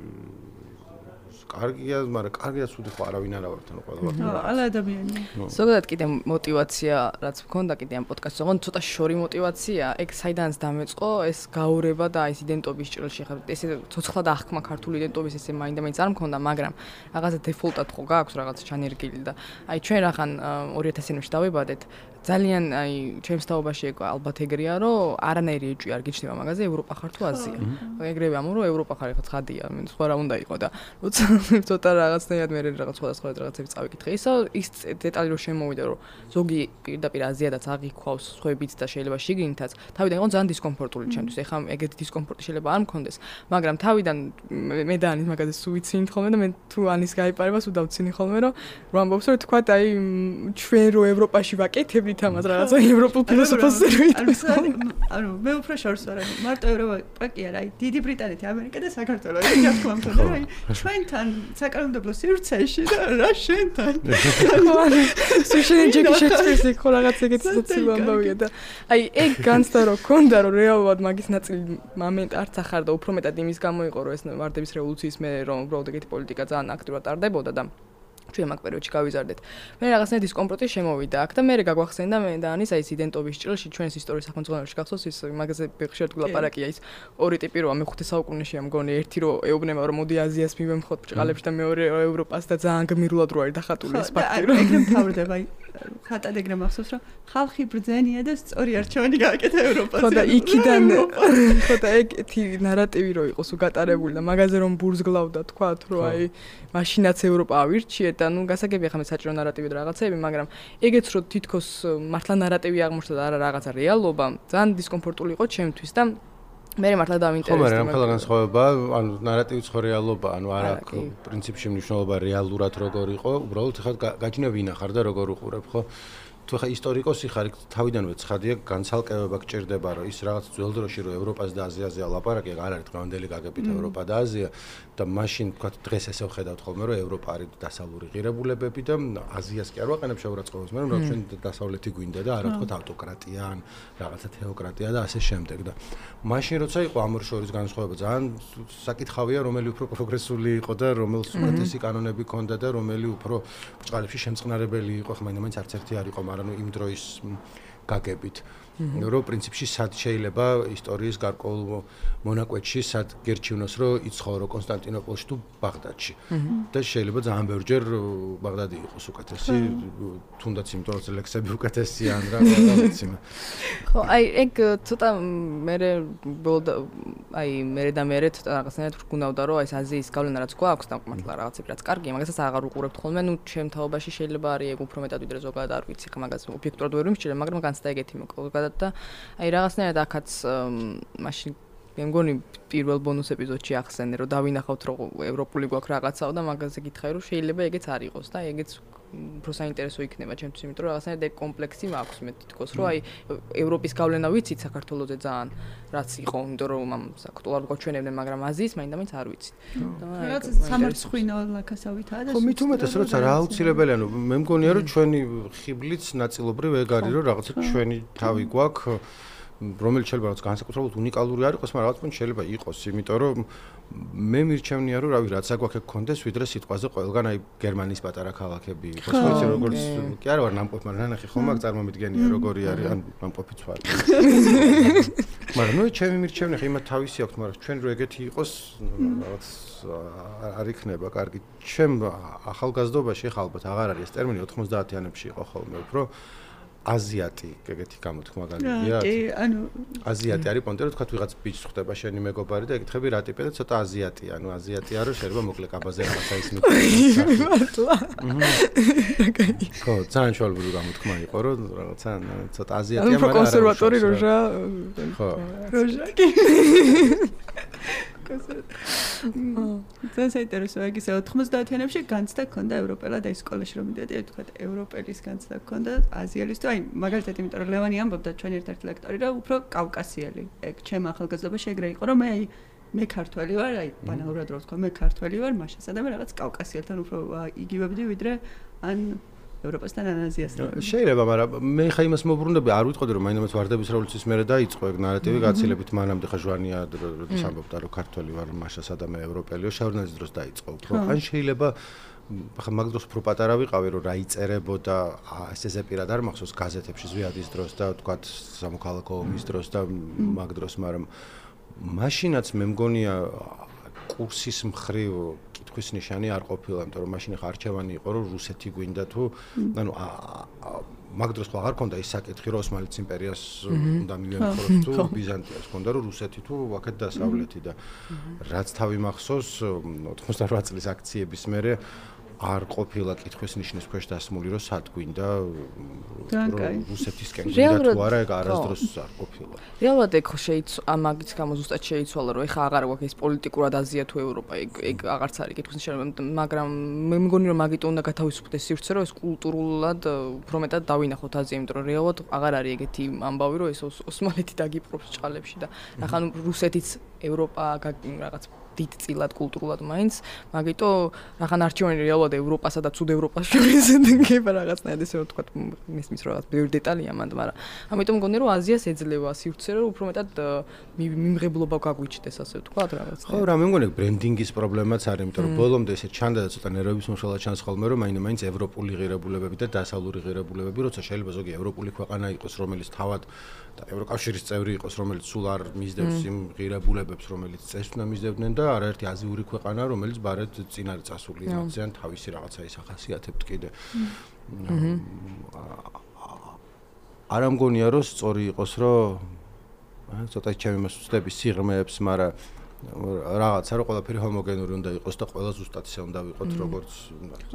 კარგია, მაგრამ კარგია ცუდი ხო არავინ არ ავართ ანუ ყველა ვართ. ყველა ადამიანი. ზოგადად კიდე мотиваცია რაც მქონდა კიდე ამ პოდკასტში, ოღონდ ცოტა შორი мотиваცია, ეგ საიდანაც დამეწყო ეს გაურება და ეს იდენტობის ჭრილში ხარ. ესე ცოცხლა და აღქმა ქართული იდენტობის ესე მაინდა-მაინც არ მქონდა, მაგრამ რაღაცა დეფოლტად ხო გააქვს რაღაც ჩანერგილი და აი ჩვენ რახან ორი ათასი ნებში დავიბადეთ ძალიან აი ჩემს თაობაში ეგ ალბათ ეგრეა რომ არანაირი ეჭვი არ გიჩნდება მაგაზე ევროპა ხარ თუ აზია. ეგრევე ამო რომ ევროპა ხარ ხა ცხადია, მე სხვა რა უნდა იყო და როცა ცოტა რაღაცნაირად მე რაღაც სხვადასხვა რაღაცები წავიკითხე. ისა ის დეტალი რომ შემოვიდა რომ ზოგი პირდაპირ აზიადაც აღიქვავს სხვაებით და შეიძლება შიგნითაც თავიდან იყო ძალიან დისკომფორტული ჩემთვის. ეხლა ეგეთი დისკომფორტი შეიძლება არ მქონდეს, მაგრამ თავიდან მე და ანის მაგაზე სულ ვიცინით ხოლმე და მე თუ ანის გაიპარება სულ დავცინი ხოლმე რომ რომ ამბობს რომ თქვა აი ჩვენ რო ევროპაში ვაკეთებ თამას რაღაცა ევროპულ ფილოსოფოსს ვიტყვით. ანუ მე უფრო შორს ვარ, მარტო ევროპა კი არა, აი დიდი ბრიტანეთი, ამერიკა და საქართველო. ეს რა თქმა უნდა, აი ჩვენთან საკანონმდებლო სივრცეში და რა შენთან. სუშენ ჯეკი შეცვლის იქ ხო რაღაც ეგეთი სოციალური ამბავია და აი ეგ განცდა რომ ქონდა რომ რეალურად მაგის ნაწილი მომენტ არც ახარ და უფრო მეტად იმის გამო იყო რომ ეს ვარდების რევოლუციის მე რომ უბრალოდ ეგეთი პოლიტიკა ძალიან აქტიურად ტარდებოდა და ჩვენ მაგ პერიოდში გავიზარდეთ. მე რაღაცნაირად დისკომფორტი შემოვიდა აქ და მე გაგვახსენდა მე და ანის აი ეს იდენტობის ჭრილში ჩვენს ისტორიის სახელმძღვანელოში გახსოვს ის მაგაზე ხშირად გულაპარაკია ის ორი ტიპი როა მეხუთე საუკუნეში ამ გონი ერთი რო ეუბნება რომ მოდი აზიას მივემხოთ ბჭყალებში და მეორე ევროპას და ძალიან გმირულად რო არის დახატული ეს ფაქტი რომ ეგრე მთავრდება აი ხატად ეგრე მახსოვს რომ ხალხი ბრძენია და სწორი არჩევანი გააკეთა ევროპაზე. ხო და იქიდან ხო და ეგეთი ნარატივი რო იყოს უგატარებული და მაგაზე რომ ბურზგლავდა თქვათ რომ აი მაშინაც ევროპა ავირჩიეთ და ნუ გასაგებია ხა მე საჭირო ნარატივი და რაღაცეები, მაგრამ ეგეც რო თითქოს მართლა ნარატივი აღმოჩნდა და არა რაღაცა რეალობა, ძალიან დისკომფორტული იყო ჩემთვის და მე მართლა დავინტერესდა. ხო, მაგრამ ახლა განსხვავება, ანუ ნარატივიც ხო რეალობა, ანუ არა პრინციპში მნიშვნელობა რეალურად როგორ იყო, უბრალოდ ხა გაჯნე ვინა ხარ და როგორ უყურებ, ხო? თუ ხა ისტორიკოსი ხარ, თავიდანვე ცხადია განცალკევება გჭირდება, რომ ის რაღაც ძველ დროში რო ევროპას და აზიაზე ალაპარაკი არ არის დღევანდელი გაგებით ევროპა და აზია და მაშინ თქვა დღეს ესე ვხედავთ ხოლმე რომ ევროპა არის დასავლური ღირებულებები და აზიას კი არ ვაყენებ შეურაცხყოფას, მაგრამ რა ჩვენ დასავლეთი გვინდა და არა თქვა ავტოკრატია ან რაღაცა თეოკრატია და ასე შემდეგ და მაშინ როცა იყო ამ ორ შორის განსხვავება ძალიან საკითხავია რომელი უფრო პროგრესული იყო და რომელს უკეთესი კანონები ჰქონდა და რომელი უფრო ბჭყალებში შემწყნარებელი იყო, ხმაინდა-მაინც არც ერთი არ იყო, მაგრამ იმ დროის გაგებით რომ პრინციპში სად შეიძლება ისტორიის გარკვეულ მონაკვეთში სად გერჩივნოს რომ იცხოვრო კონსტანტინოპოლში თუ ბაღდადში და შეიძლება ძალიან ბევრჯერ ბაღდადი იყოს უკეთესი თუნდაც იმიტომ რომ ლექსები უკეთესია ან რა ვიცი ხო აი ეგ ცოტა მე აი მე და მე ცოტა რაღაცნაირად ვგუნავდა რომ აი ეს აზიის გავლენა რაც გვაქვს დამყმართლა რაღაცები რაც კარგია მაგასაც აღარ უყურებთ ხოლმე ნუ ჩემ თაობაში შეიძლება არის ეგ უფრო მეტად ვიდრე ზოგადად არ ვიცი ხა მაგას ობიექტურად ვერ ვიმსჯელე მაგრამ განცდა ეგეთი მოკლედ და აი რაღაცნაირად აქაც მაშინ მე მგონი პირველ ბონუს ეპიზოდში ახსენე რომ დავინახავთ რომ ევროპული გვაქვს რაღაცაო და მაგაზე გითხარი რომ შეიძლება ეგეც არ იყოს და ეგეც უფრო საინტერესო იქნება ჩემთვის იმიტომ რომ რაღაცნაირად ეგ კომპლექსი მაქვს მე თითქოს რომ აი ევროპის გავლენა ვიცით საქართველოზე ძალიან რაც იყო იმიტომ რომ ამ აქტუალურად გვაჩვენებდნენ მაგრამ აზიის მაინდა-მაინც არ ვიცით რაღაც სამარცხვინო ლაქასავითაა და ხო მით უმეტეს როცა რა აუცილებელია ნუ მე მგონია რომ ჩვენი ხიბლიც ნაწილობრივ ეგ არის რომ რაღაცა ჩვენი თავი გვაქვს რომელიც შეიძლება რაღაც განსაკუთრებულად უნიკალური არ იყოს, მაგრამ რაღაც პუნქტში შეიძლება იყოს, იმიტომ რომ მე მირჩევნია რომ რავი რაც აგვაქვს გქონდეს, ვიდრე სიტყვაზე ყველგან აი გერმანიის პატარა ქალაქები იყოს, ვიცი როგორც კი არა ვარ ნამყოფი, მაგრამ ნახე ხომ მაგ წარმომიდგენია როგორი არის ან ნამყოფიც ვარ. მაგრამ ნუ ჩემი მირჩევნია ხა იმათ თავისი აქვს, მაგრამ ჩვენ რო ეგეთი იყოს, რაღაც არ იქნება კარგი. ჩემ ახალგაზრდობაში ხა ალბათ აღარ არის ეს ტერმინი ოთხმოცდაათიანებში იყო ხოლმე უფრო აზიატი ეგეთი გამოთქმა გაგიგია? კი, ანუ აზიატი არის პონტე რომ თქვა ვიღაც ბიჭს ხვდება შენი მეგობარი და ეკითხები რა ტიპია და ცოტა აზიატია, ანუ აზიატია რომ შეიძლება მოკლე კაბაზე რაღაცა ის მიტყვი. მართლა. ხო, ძალიან შუალბური გამოთქმა იყო რომ რაღაცა ცოტა აზიატია, მაგრამ არა კონსერვატორი როჟა. ხო. როჟა კი. ძალიან საინტერესოა ის ოთხმოცდაათიანებში განცდა ქონდა ევროპელად აი სკოლაში რომ მიდიოდი აი თქვა ევროპელის განცდა ქონდა აზიელის თუ აი მაგალითად იმიტომ რომ ლევანი ამბობდა ჩვენი ერთ-ერთი ლექტორი რომ უფრო კავკასიელი ეგ ჩემ ახალგაზრდობაში ეგრე იყო რომ მე აი მე ქართველი ვარ აი ბანალურად რო ვთქვა მე ქართველი ვარ მაშასა და მე რაღაც კავკასიელთან უფრო იგივებდი ვიდრე ან ევროპასთან ან აზიასთან. შეიძლება, მაგრამ მე ხა იმას მოbrunდები, არ ვიტყოდი რომ მაინც ვარდების რევოლუციის მერე დაიწყო ეგ ნარატივი გაცილებით მანამდე ხა ჟვანია როდის ამბობდა რომ ქართველი ვარ მაშასა და მე ევროპელიო შავრნაძის დროს დაიწყო უფრო. ან შეიძლება ხა მაგ დროს უფრო პატარა ვიყავი რომ რა იწერებოდა ეს ესე პირად არ მახსოვს გაზეთებში ზვიადის დროს და თქვათ სამოქალაქო ომის დროს და მაგ დროს, მაგრამ მაშინაც მე მგონია კურსის მხრივ კითხვის ნიშანი არ ყოფილა, იმიტომ რომ მაშინ ხა არჩევანი იყო რომ რუსეთი გვინდა თუ ანუ მაგ დროს ხო აღარ ქონდა ის საკითხი რომ ოსმალეთის იმპერიას უნდა მივემხროს თუ ბიზანტიას ქონდა რომ რუსეთი თუ აქეთ დასავლეთი და რაც თავი მახსოვს ოთხმოცდაოთხ წლის აქციების მერე არ ყოფილა კითხვის ნიშნის ქვეშ დასმული რომ სად გვინდა რუსეთისკენ გვინდა თუ არა ეგ არასდროს არ ყოფილა. რეალურად ეგ შეიცვალა მაგის გამო ზუსტად შეიცვალა რომ ეხა აღარ გვაქვს ეს პოლიტიკურად აზია თუ ევროპა ეგ ეგ აღარც არის კითხვის ნიშანი მაგრამ მე მგონი რომ მაგით უნდა გათავისუფლდეს სივრცე რომ ეს კულტურულად უფრო მეტად დავინახოთ აზია იმიტომ რომ რეალურად აღარ არის ეგეთი ამბავი რომ ეს ოსმალეთი დაგიპყრობს ჭყალებში და ახლა ნუ რუსეთიც ევროპა რაღაც დიდწილად კულტურულად მაინც მაგიტო რახან არჩევანი რეალურად ევროპასა და ცუდ ევროპას შორის დგება რაღაცნაირად ესე რომ თქვა მისმის რაღაც ბევრი დეტალია მანდ მაგრამ ამიტომ მგონი რომ აზიას ეძლევა სივრცე რომ უფრო მეტად მიმღებლობა გაგვიჩნდეს ასე ვთქვა რაღაც ხო რა მე მგონი ბრენდინგის პრობლემაც არის იმიტომ რომ ბოლომდე ესე ჩანდა და ცოტა ნერვების მომშველად ჩანს ხოლმე რომ მაინც ევროპული ღირებულებები და დასავლური ღირებულებები როცა შეიძლება ზოგი ევროპული ქვეყანა იყოს რომელიც თავად და ევროკავშირის წევრი იყოს რომელიც სულ არ მისდევს იმ ღირებულებებს რომელიც წესს უნდა მისდევდნენ და არაერთი აზიური ქვეყანა რომელიც ბარეთ წინ არის წასული რაღაციან თავისი რაღაცა ის ახასიათებთ კიდე არ ამგონია რომ სწორი იყოს რომ ცოტა ჩემი მოსწრები სიღრმეებს მაგრამ რაღაცა რომ ყველაფერი ჰომოგენური უნდა იყოს და ყველა ზუსტად ისე უნდა ვიყოთ როგორც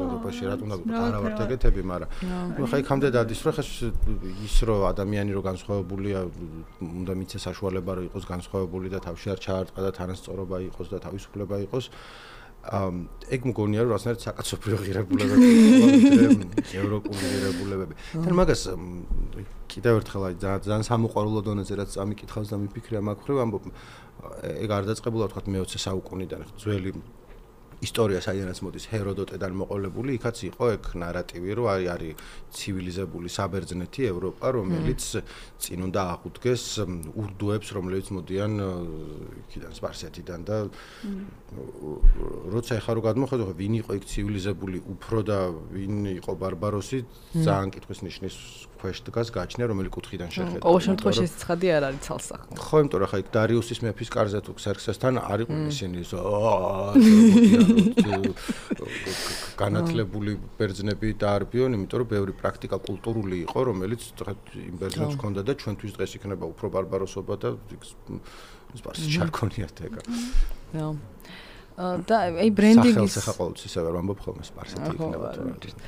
ევროპაში რა უნდა ვიყოთ არა ვართ ეგეთები მაგრამ ხა იქამდე დადის რომ ხა ის რომ ადამიანი რო განსხვავებულია უნდა მიცეს საშუალება რომ იყოს განსხვავებული და თავში არ ჩაარტყა და თანასწორობა იყოს და თავისუფლება იყოს ეგ მგონია რომ რაღაცნაირად საკაცობრიო ღირებულებები ევროპული ღირებულებები თან მაგას კიდევ ერთხელ აი ძალიან სამოყვარულო დონეზე რაც ამიკითხავს და მიფიქრია მაგ ხრივ ამბობ ეგ არ დაწყებულა თქვა მეოცე საუკუნიდან ძველი ისტორია საიდანაც მოდის ჰეროდოტედან მოყოლებული, იქაც იყო ეგ ნარატივი, რომ არის არის ცივილიზებული საბერძნეთი, ევროპა, რომელიც წინ უნდა აღუდგეს ურდუებს, რომლებიც მოდიან იქიდან სპარსეთიდან და როცა ეხლა რო გადმოხედავ, ვინ იყო იქ ცივილიზებული უფრო და ვინ იყო ბარბაროსი, ძალიან კითხვის ნიშნის ქვეშ დგას გაჩნია, რომელი კუთხიდან შეხედა. ყოველ შემთხვევაში ეს ცხადი არ არის ცალსახო. ხო, იმიტომ რომ ხა იქ დარიუსის მეფის კარზე თუ ქსერქსესთან არ იყვნენ ისინი განათლებული ბერძნები დაარბიონ, იმიტომ რომ ბევრი პრაქტიკა კულტურული იყო, რომელიც იმ ბერძნებს ჰქონდა და ჩვენთვის დღეს იქნება უფრო ბარბაროსობა და სპარსი ჩარქონიათ ეგა. ხო. და აი ბრენდინგის სახელს ახლა ყოველთვის ისე ვერ ვამბობ ხოლმე სპარსეთი იქნება თუ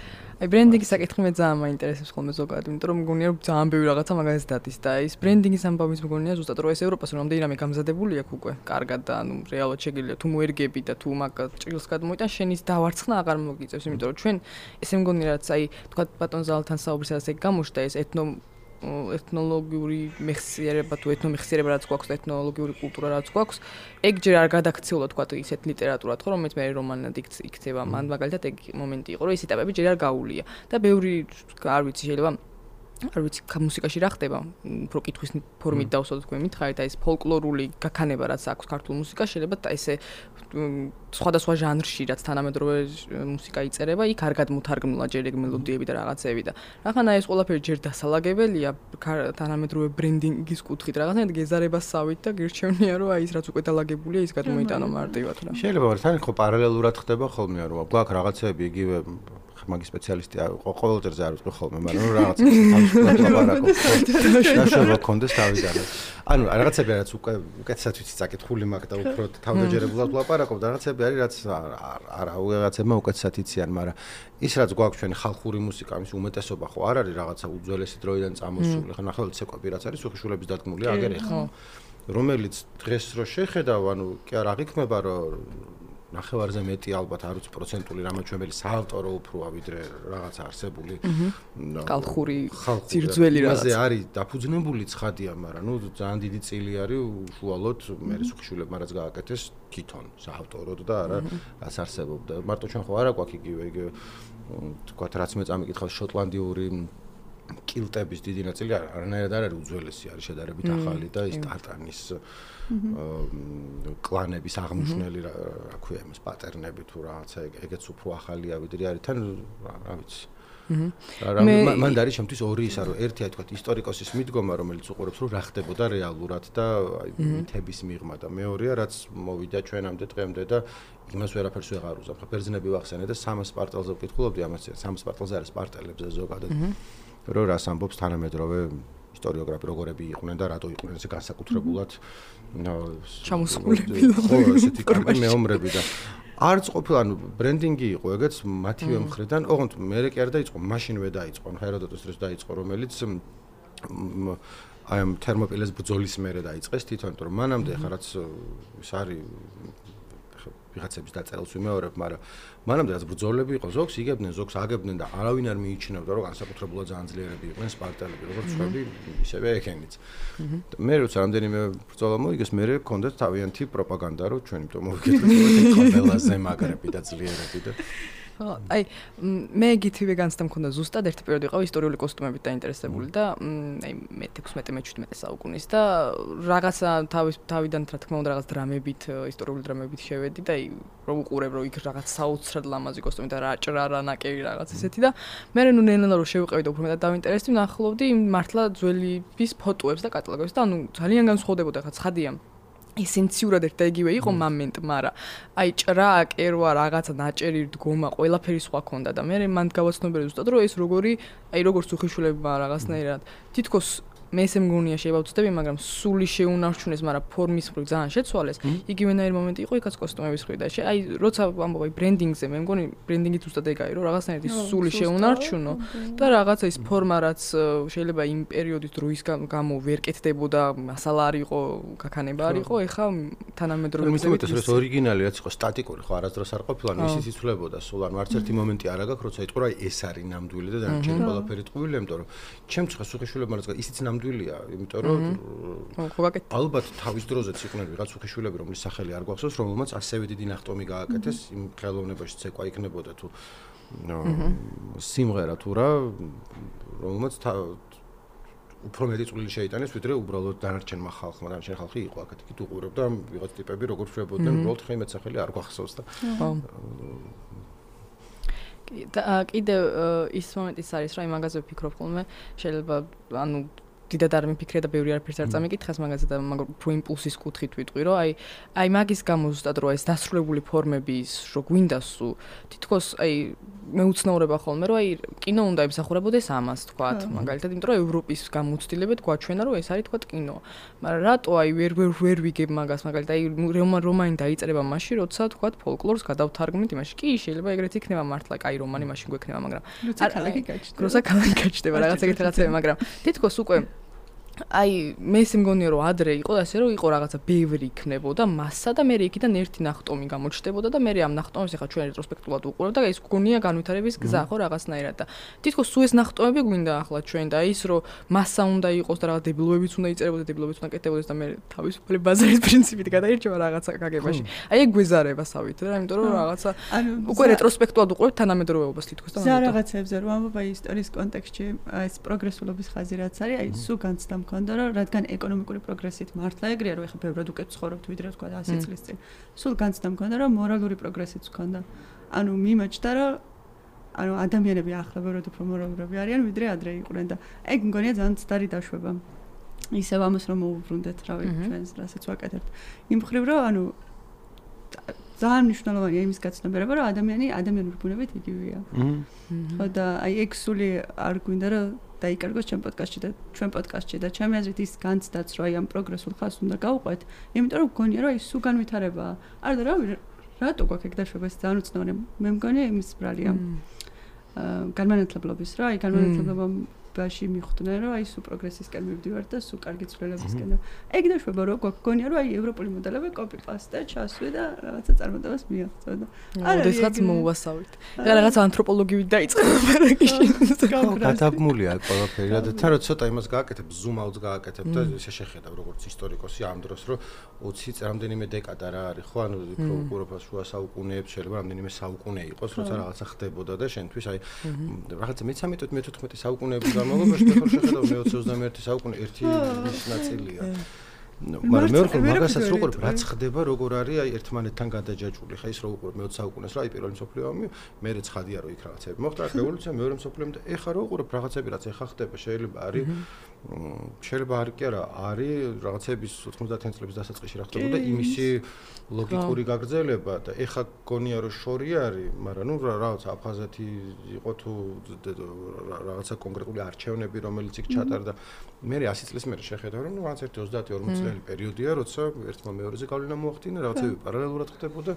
აი ბრენდინგის საკითხი მე ძალიან მაინტერესებს ხოლმე ზოგადად, იმიტომ რომ მგონია რომ ძალიან ბევრი რაღაცა მაგას დადის და ის ბრენდინგის ამბავიც მგონია ზუსტად რომ ეს ევროპას რამდენი რამე გამზადებული აქვს უკვე კარგად და ანუ რეალურად შეგიძლია თუ მოერგები და თუ მაგ ჭრილს გადმოიტან შენის დავარცხნა აღარ მოგიწევს, იმიტომ რომ ჩვენ ესე მგონია რაც აი თქვა ბატონ ზალთან საუბრისას ეგ გამოჩნდა ეს ეთნო ეთნოლოგიური მეხსიერება თუ ეთნომეხსიერება რაც გვაქვს და ეთნოლოგიური კულტურა რაც გვაქვს, ეგ ჯერ არ გადაქცეულა თქვა ისეთ ლიტერატურად ხო, რომელიც მე რომანად იქცევა, მან მაგალითად ეგ მომენტი იყო, რომ ეს ეტაპები ჯერ არ გაუვლია და ბევრი არ ვიცი შეიძლება არ ვიცი მუსიკაში რა ხდება, უფრო კითხვის ფორმით დავსვათ თქვენ მითხარით, აი ეს ფოლკლორული გაქანება რაც აქვს ქართულ მუსიკაში, შეიძლება და ესე სხვადასხვა ჟანრში რაც თანამედროვე მუსიკა იწერება, იქ არ გადმოთარგმნილა ჯერ ეგ მელოდიები და რაღაცები და რახანა ეს ყველაფერი ჯერ დასალაგებელია თანამედროვე ბრენდინგის კუთხით, რაღაცნაირად გეზარებასავით და გირჩევნია რომ აი ის რაც უკვე დალაგებულია ის გადმოიტანო მარტივად რა. შეიძლება თან ხო პარალელურად ხდება ხოლმე რომ გვაქვს რაღაცები იგივე მაგის სპეციალისტი ყოველდღე არ ვიყო ხოლმე, მაგრამ რაღაც თავისუფლად ლაპარაკობ. დაშვება კონდეს თავიდან. ანუ რაღაცები რაც უკვე უკეთესად ვიცი წაკითხული მაგ და უფრო თავდაჯერებულად ლაპარაკობ და რაღაცები არის რაც არა რაღაცებმა უკეთესად იციან, მაგრამ ის რაც გვაქვს ჩვენი ხალხური მუსიკა, ამის უმეტესობა ხო არ არის რაღაცა უძველესი დროიდან წამოსული, ხო ნახევარად ცეკვები რაც არის უხიშულების დადგმული აგერ ეხლა. რომელიც დღეს რო შეხედავ, ანუ კი არ აღიქმება რომ ნახევარზე მეტი ალბათ არ ვიცი პროცენტული რამაჩვენებელი საავტორო უფროა ვიდრე რაღაც არსებული ხალხური ძირძველი რაღაც. მასე არის დაფუძნებული ცხადია, მაგრამ ნუ ძალიან დიდი წილი არის უშუალოდ მე სუხიშულებმა რაც გააკეთეს თვითონ საავტოროდ და არა რაც არსებობდა. მარტო ჩვენ ხო არა გვაქვს იგივე იგივე თქვათ რაც მე წამიკითხავს შოტლანდიური კილტების დიდი ნაწილი არანაირად არ არის უძველესი, არის შედარებით ახალი და ის ტარტანის კლანების აღმნიშვნელი რა ქვია იმის პატერნები თუ რაღაცა ეგეც უფრო ახალია ვიდრე არის თან რა ვიცი. მან არის შემთთვის ორი ისა რომ ერთი აი თქვა ისტორიკოსის მიდგომა რომელიც უყურებს რომ რა ხდებოდა რეალურად და მითების მიღმა და მეორეა რაც მოვიდა ჩვენამდე დღემდე და იმას ვერაფერს ვეღარ უზამ. ხა ბერძნები ვახსენე და სამას სპარტელზე ვკითხულობდი ამას სამას სპარტელზე არის სპარტელებზე ზოგადად. რომ რას ამბობს თანამედროვე ისტორიოგრაფი როგორები იყვნენ და რატო იყვნენ ესე განსაკუთრებულად ჩამოსხულები ხო ესეთი კამპანი მეომრები და არც ყოფილი ანუ ბრენდინგი იყო ეგეც მათივე მხრიდან ოღონდ მე კი არ დაიწყო მაშინვე დაიწყო ჰეროდოტოს დროს დაიწყო რომელიც აი ამ თერმოპილეს ბრძოლის მერე დაიწყეს თვითონ რომ მანამდე ხა რაც ის არის ვიღაცების დაწერილს ვიმეორებ, მაგრამ მანამდე რაც ბრძოლები იყო, ზოგს იგებდნენ, ზოგს აგებდნენ და არავინ არ მიიჩნევდა, რომ განსაკუთრებულად ძალიან ძლიერები იყვნენ სპარტელები, როგორც ჩვენი, ისევე ეკენიც. მე როცა რამდენიმე ბრძოლა მოიგეს, მე მქონდათ თავიანთი პროპაგანდა, რომ ჩვენ იმიტომ მოვიკეთეთ ყველაზე მაგრები და ძლიერები და აი მე გითივე განცდა მქონდა ზუსტად ერთი პერიოდი იყო ისტორიული კოსტუმებით დაინტერესებული და აი მე თექვსმეტე მე შვიდმეტე საუკუნის და რაღაცა თავის თავიდან რა თქმა უნდა რაღაც დრამებით ისტორიული დრამებით შევედი და აი რომ უყურებ რომ იქ რაღაც საოცრად ლამაზი კოსტუმი და რა ჭრა რა ნაკერი რაღაც ესეთი და მე ნუ ნელა რომ შევიყევი და უფრო მეტად დავინტერესდი ვნახულობდი მართლა ძველების ფოტოებს და კატალოგებს და ანუ ძალიან განსხვავდებოდა ხა ცხადია ესენციურად ერთ და იგივე იყო მომენტ, მაგრამ აი ჭრა, აკერვა, რაღაცა ნაჭერი დგომა, ყველაფერი სხვა ქონდა და მე მანდ გავაცნობიერე ზუსტად რომ ეს როგორი, აი როგორც უხიშულებმა რაღაცნაირად თითქოს მე ესე მგონია შეიძლება ვწდები, მაგრამ სული შეუნარჩუნეს, მაგრამ ფორმის მხრივ ძალიან შეცვალეს. იგივენაირი მომენტი იყო იქაც კოსტუმების მხრივ და აი როცა ამბობ აი ბრენდინგზე, მე მგონი ბრენდინგი ზუსტად ეგაა, რომ რაღაცნაირად ის სული შეუნარჩუნო და რაღაცა ის ფორმა რაც შეიძლება იმ პერიოდის დროის გამო ვერ კეთდებოდა, მასალა არ იყო, გაქანება არ იყო, ეხა თანამედროვე მიზებით ეს ორიგინალი რაც იყო სტატიკური ხო არასდროს არ ყოფილა ისიც იცვლებოდა სულ არ მარც ერთი მომენტი არ აგაქვს როცა იტყვა აი ეს არის ნამდვილი და დანარჩენი ყველაფერი ტყუილია იმიტომ რომ ჩემს ხა სუხიშვილებმა რაც ისიც ნამდვილია იმიტომ რომ ალბათ თავის დროზეც იყვნენ ვიღაც სუხიშვილები რომლის სახელი არ გვახსოვს რომელმაც ასევე დიდი ნახტომი გააკეთეს იმ ხელოვნებაში ცეკვა იქნებოდა თუ სიმღერა თუ რა რომელმაც უფრო მეტი წვლილი შეიტანეს ვიდრე უბრალოდ დანარჩენმა ხალხმა დანარჩენ ხალხი იყო აქეთ იქით უყურებდა ვიღაც ტიპები როგორ შვებოდნენ უბრალოდ ხე იმეც სახელი არ გვახსოვს და კიდე ის მომენტიც არის რა იმ მაგაზე ვფიქრობ ხოლმე შეიძლება ანუ დიდად არ მიფიქრე და ბევრი არაფერს არ წამიკითხეს მაგაზე და მაგრამ უფრო იმპულსის კუთხით ვიტყვი რომ აი აი მაგის გამო ზუსტად რომ ეს დასრულებული ფორმები ის რო გვინდა სუ თითქოს აი მეუცნაურება ხოლმე რომ აი კინო უნდა ემსახურებოდეს ამას თქვათ მაგალითად იმიტომ რომ ევროპის გამოცდილებად გვაჩვენა რომ ეს არის თქვათ კინო მაგრამ რატო აი ვერ ვერ ვერ ვიგებ მაგას მაგალითად აი რომანი დაიწერება მაშინ როცა თქვათ ფოლკლორს გადავთარგმნით იმაში კი შეიძლება ეგრეთ იქნება მართლა კაი რომანი მაშინ გვექნება მაგრამ როცა ქალაქი გაჩნდება რაღაც ეგეთ რაღაცები მაგრამ თითქოს უკვე აი მე სიმგონია რომ ადრე იყო ასე რომ იყო რაღაცა ბევრი იქნებოდა მასა და მე იქიდან ერთი ნახტომი გამოჩნდებოდა და მე ამ ნახტომებს ახლა ჩვენ რეტროსპექტულად უყურებ და ეს გონია განვითარების გზა ხო რაღაცნაირად და თითქოს სულ ეს ნახტომები გვინდა ახლა ჩვენ და ის რომ მასა უნდა იყოს და რაღაც დებილოებიც უნდა იწერებოდეს დებილოებიც უნდა კეთდებოდეს და მე თავისუფალი ბაზარის პრინციპით გადაირჩევა რაღაცა გაგებაში აი ეგ გვეზარება სავით რა იმიტომ რომ რაღაცა უკვე რეტროსპექტულად უყურებ თანამედროვეობას თითქოს და ზა რაღაცებზე რომ ამბობ აი ისტორიის კონტექსტში ეს პროგრესულობის ხაზი რაც არის აი სულ განცდა მქონდა რომ რადგან ეკონომიკური პროგრესით მართლა ეგრეა რომ ეხა ბევრად უკეთ ცხოვრობთ ვიდრე თქვა ათი წლის წინ სულ განცდა მქონდა რომ მორალური პროგრესიც მქონდა ანუ მიმაჩნდა რომ ანუ ადამიანები ახლა ბევრად უფრო მორალურები არიან ვიდრე ადრე იყვნენ და ეგ მგონია ძალიან ცდარი დაშვება ისევ ამას რომ მოუბრუნდეთ რავი ჩვენს რასაც ვაკეთებთ იმ მხრივ რომ ანუ ძალიან მნიშვნელოვანია იმის გაცნობიერება რომ ადამიანი ადამიანური ბუნებით იგივეა ხო და აი ეგ სული არ გვინდა რომ დაიკარგოს ჩემ პოდკასტში და ჩვენ პოდკასტში და ჩემი აზრით ის განცდაც რომ აი ამ პროგრესულ ხაზს უნდა გავუყვეთ იმიტომ რომ გონია რომ ის სულ განვითარებაა არ და რავი რატო გვაქვს ეგ დაშვება ეს ძალიან უცნაური მე მგონია იმის ბრალია განმანათლებლობის რა აი განმანათლებლობაში მიხვდნენ რომ აი სულ პროგრესისკენ მივდივართ და სულ კარგი ცვლილებისკენ და ეგ დაშვება რომ გვაქვს გონია რომ აი ევროპული მოდელები კოპი პასტა ჩასვი და რაღაცა წარმოდებას მიაღწევა და არა როდესაც მოუვასავით და რაღაც ანთროპოლოგიით დაიწყება პარაგიში გადაბმულია ყველაფერი და თან რომ ცოტა იმას გააკეთებ ზუმ-აუტს გააკეთებ და ესე შეხედავ როგორც ისტორიკოსი ამ დროს რომ ოცი რამდენიმე დეკადა რა არის ხო ანუ უფრო უყურებ შუა საუკუნეებს შეიძლება რამდენიმე საუკუნე იყოს როცა რაღაცა ხდებოდა და შენთვის აი რაღაცა მეთერთმეტე მეთოთხმეტე საუკუნეების განმავლობაში ხო შეხედავ მე ოცი ოცდამეერთე საუკუნე ერთი ის ნაწილია მაგრამ მე ვიყო მაგასაც რო უყურებ რაც ხდება როგორ არის აი ერთმანეთთან გადაჯაჭვული ხა ის რო უყურებ მე ოცი საუკუნეს რა აი პირველი მსოფლიო ომი მე რეც ხადია რომ იქ რაღაცები მოხდა რევოლუცია მეორე მსოფლიო ომი და ეხა რო უყურებ რაღაცები რაც ეხა ხდება შეიძლება არის შეიძლება არის კი არა არის რაღაცების ოთხმოცდაათი წლების დასაწყისში რა ხდებოდა იმისი ლოგიკური გაგრძელება და ეხა გონია რომ შორი არის მაგრამ ნუ რაღაც აფხაზეთი იყო თუ რაღაცა კონკრეტული არჩევნები რომელიც იქ ჩატარდა მე ათი წლის მერე შეხედავ რომ ნუ რაღაც ერთი ოცდაათი ორმოცი წელი პერიოდია როცა ერთმა მეორეზე გავლენა მოახდინა რაღაცები პარალელურად ხდებოდა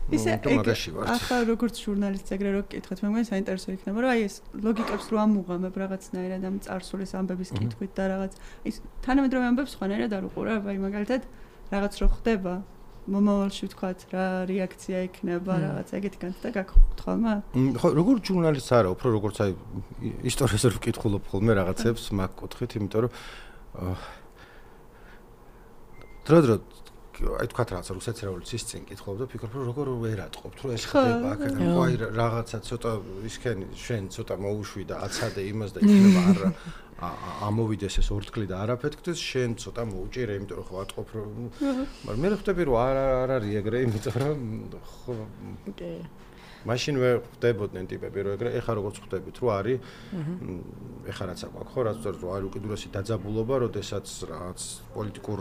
ისე ახლა როგორც ჟურნალისტს ეგრე რო გკითხეთ მე მგონი საინტერესო იქნება რომ აი ეს ლოგიკებს რო ამუღამებ რაღაცნაირად ამ წარსულის ამბების კითხვით და რაღაც ის თანამედროვე ამბებს სხვანაირად არ უყურებ აი მაგალითად რაღაც რო ხდება მომავალში ვთქვათ რა რეაქცია იქნება რაღაც ეგეთი განცდა გაქვთ ხოლმე ხო როგორ ჟურნალისტს არა უფრო როგორც აი ისტორიას რო ვკითხულობ ხოლმე რაღაცებს მაგ კუთხით იმიტომ რომ დრო დრო აი თქვათ რაღაცა რუსეთის რევოლუციის წინ კითხულობ და ფიქრობ რომ როგორ ვერ ატყობთ რომ ეს ხდება აქედან ხო აი რაღაცა ცოტა ისქენ შენ ცოტა მოუშვი და აცადე იმას და იქნება არა ამოვიდეს ეს ორთქლი და არაფეთქდეს შენ ცოტა მოუჭირე იმიტომ რომ ხო ატყობ რომ მაგრამ მე ხვდები რომ არ არ არის ეგრე იმიტომ რომ ხო კი მაშინ ვერ ხდებოდნენ ტიპები რომ ეგრე ეხა როგორც ხვდებით რომ არის ეხა რაც აქვს ხო რაც რომ არის უკიდურესი დაძაბულობა როდესაც რაღაც პოლიტიკურ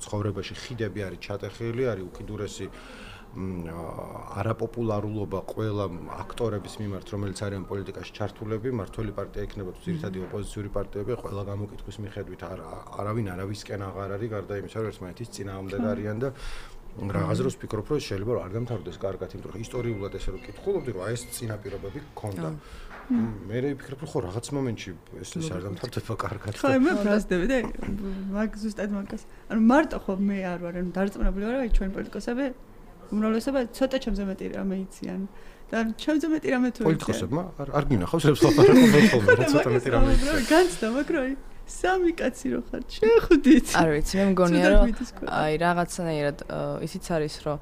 ცხოვრებაში ხიდები არის ჩატეხილი არის უკიდურესი არაპოპულარულობა ყველა აქტორების მიმართ რომელიც არიან პოლიტიკაში ჩართულები მართველი პარტია იქნება თუ ძირითადი ოპოზიციური პარტიები ყველა გამოკითხვის მიხედვით არავინ არავისკენ აღარ არის გარდა იმისა რომ ერთმანეთის წინააღმდეგ არიან და რაღაც დროს ვფიქრობ რომ შეიძლება არ დამთავრდეს კარგად იმიტომ რომ ისტორიულად ესე რომ კითხულობდი რომ აი ეს წინაპირობები გქონდა მე ვფიქრობ, რომ ხო რაღაც მომენტში ეს ეს არ დამთავრდება კარგად. ხო, მე ბრაზდები და მაგ ზუსტად მაგას. ანუ მარტო ხო მე არ ვარ, ანუ დარწმუნებული ვარ, აი ჩვენ პოლიტიკოსები უმრავლესობა ცოტა ჩემზე მეტი რამე იციან. და ჩემზე მეტი რამე თუ იციან. პოლიტიკოსებმა არ არ გინახავს რებს ლაპარაკობენ ხოლმე, რა ცოტა მეტი რამე იციან. განცდა, მაგრამ აი სამი კაცი რო ხარ, შეხვდით. არ ვიცი, მე მგონია რომ აი რაღაცნაირად ისიც არის, რომ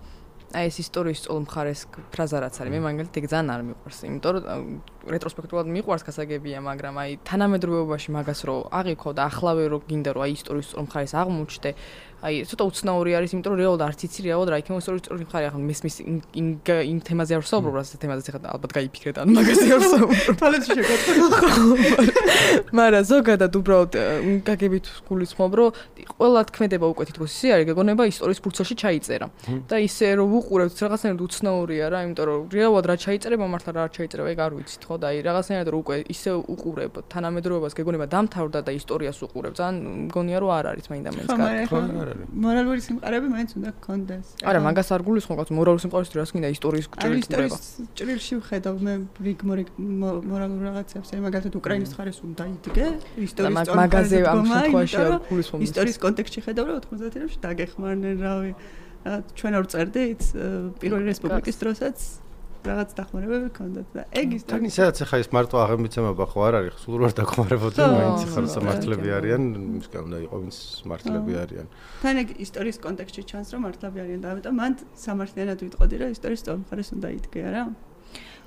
აი ეს ისტორიის სწორ მხარეს ფრაზა რაც არის, მე მაგალითად ეგ ძალიან არ მიყვარს, იმიტომ რომ რეტროსპექტულად მიყვარს გასაგებია, მაგრამ აი თანამედროვეობაში მაგას რო აღიქო და ახლავე რო გინდა რომ აი ისტორიის სწორ მხარეს აღმოჩნდე, აი ცოტა უცნაური არის, იმიტომ რომ რეალურად არც იცი რეალურად რა იქნება ისტორიის სწორი მხარე, ახლა მესმის იმ იმ თემაზე არ ვსაუბრობ, რასაც თემაზეც ახლა ალბათ გაიფიქრეთ, ანუ მაგაზე არ ვსაუბრობ. თვალებში შეგოწე. მაგრამ ზოგადად უბრალოდ გაგებით გულისხმობ, რომ ყველა თქმედება უკვე თითქოს ისე არის, გეგონება ისტორიის ფურცელში ჩაიწერა. და ისე რომ უყურებთ რაღაცნაირად უცნაურია რა, იმიტომ რომ რეალურად რა ჩაიწერება, მართლა რა არ ჩაიწერება, ეგ არ ვიცით ხო და აი რაღაცნაირად რომ უკვე ისე უყურებ თანამედროვეობას გეგონება დამთავრდა და ისტორიას უყურებ, ძალიან მგონია რომ არ არის მაინდა მაინც კარგი. მორალური სიმყარები მაინც უნდა გქონდეს. არა, მაგას არ გულისხმობ, კაც მორალური სიმყარის რას გინდა ისტორიის ჭრილება. ჭრილში ვხედავ მე რიგ მორალურ რაღაცებს, აი მაგალითად უკრაინის მხარეს უნდა იდგე, ისტორიის მაგ მაგაზე ამ შემთხვევაში არ გულისხმობ. ისტორიის კონტექსტში ხედავ რომ ოთხმოცდაათში დაგეხმარნენ, რავი. ჩვენ არ წერდით პირველი რესპუბლიკის დროსაც რაღაც დახმარებები გქონდათ და ეგ ისტორია. სადაც ახლა ეს მარტო აღემიცემება ხო არ არის, სულ არ დახმარებოდნენ, მაინც ხარ სამართლები არიან, მისგან უნდა იყო ვინც მართლები არიან. თან ეგ ისტორიის კონტექსტში ჩანს რომ მართლები არიან და ამიტომ მან სამართლიანად ვიტყოდი რომ ისტორიის სწორ მხარეს უნდა იდგე, არა?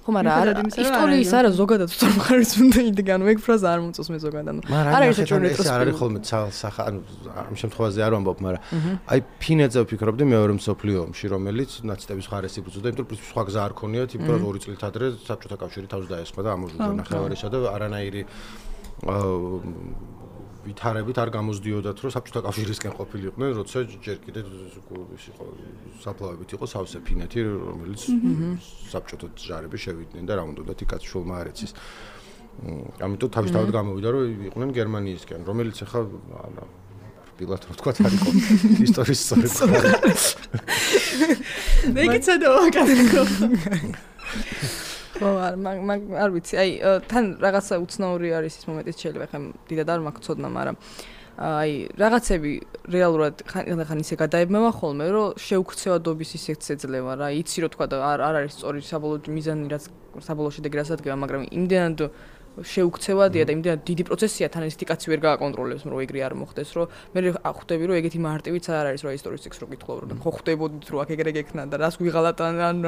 ხო, მაგრამ ისტორიის არა ზოგადად სწორ მხარეს უნდა იდგე, ანუ ეგ ფრაზა არ მომწონს მე ზოგადად. არ არის ეს არ არის ხოლმე სახა, ანუ ამ შემთხვევაში არ ვამბობ, მაგრამ აი ფინეთზე ვფიქრობდი მეორე მსოფლიო ომში, რომელიც ნაცისტების მხარეს იბრძოდა, იმიტომ რომ სხვა გზა არ ქონიათ, იმიტომ რომ ორი წლით ადრე საბჭოთა კავშირი თავს დაესხმა და ამოჟუდა ნახევარისა და არანაირი ვითარებით არ გამოსდიოდათ, რომ საბჭოთა კავშირისკენ ყოფილიყვნენ, როცა ჯერ კიდე ის იყო საფლავებით იყო სავსე ფინეთი, რომელიც საბჭოთა ჯარები შევიდნენ და რა უნდათ იქაც შულმა არ იცის. ამიტომ თავისთავად გამოვიდა, რომ იყვნენ გერმანიისკენ, რომელიც ახლა რბილად რო თქვა არ იყო ისტორიის სწორი მხარე. მეკიცა და ვაკეთო. ხო, არ მაგ არ ვიცი, აი თან რაღაცა უცნაური არის ის მომენტიც შეიძლება ხომ დიდად არ მაქვს ცოდნა, მაგრამ აი რაღაცები რეალურად ხან ისე გადაებმევა ხოლმე, რომ შეუქცევადობის ისეც ეძლევა რა, იცი რომ თქვა და არ არ არის სწორი საბოლოო მიზანი, რაც საბოლოო შედეგი რაც ადგება, მაგრამ იმდენად შეუქცევადია და იმდენად დიდი პროცესია, თან ეს თიკაცი ვერ გააკონტროლებს, რომ ეგრე არ მოხდეს, რომ მე ხვდები, რომ ეგეთი მარტივიც არ არის, რომ ისტორიის ტექსტს რო გითხოვ, რომ ხო ხვდებოდით, რომ აქ ეგრე გექნა და რას გვიღალათ ან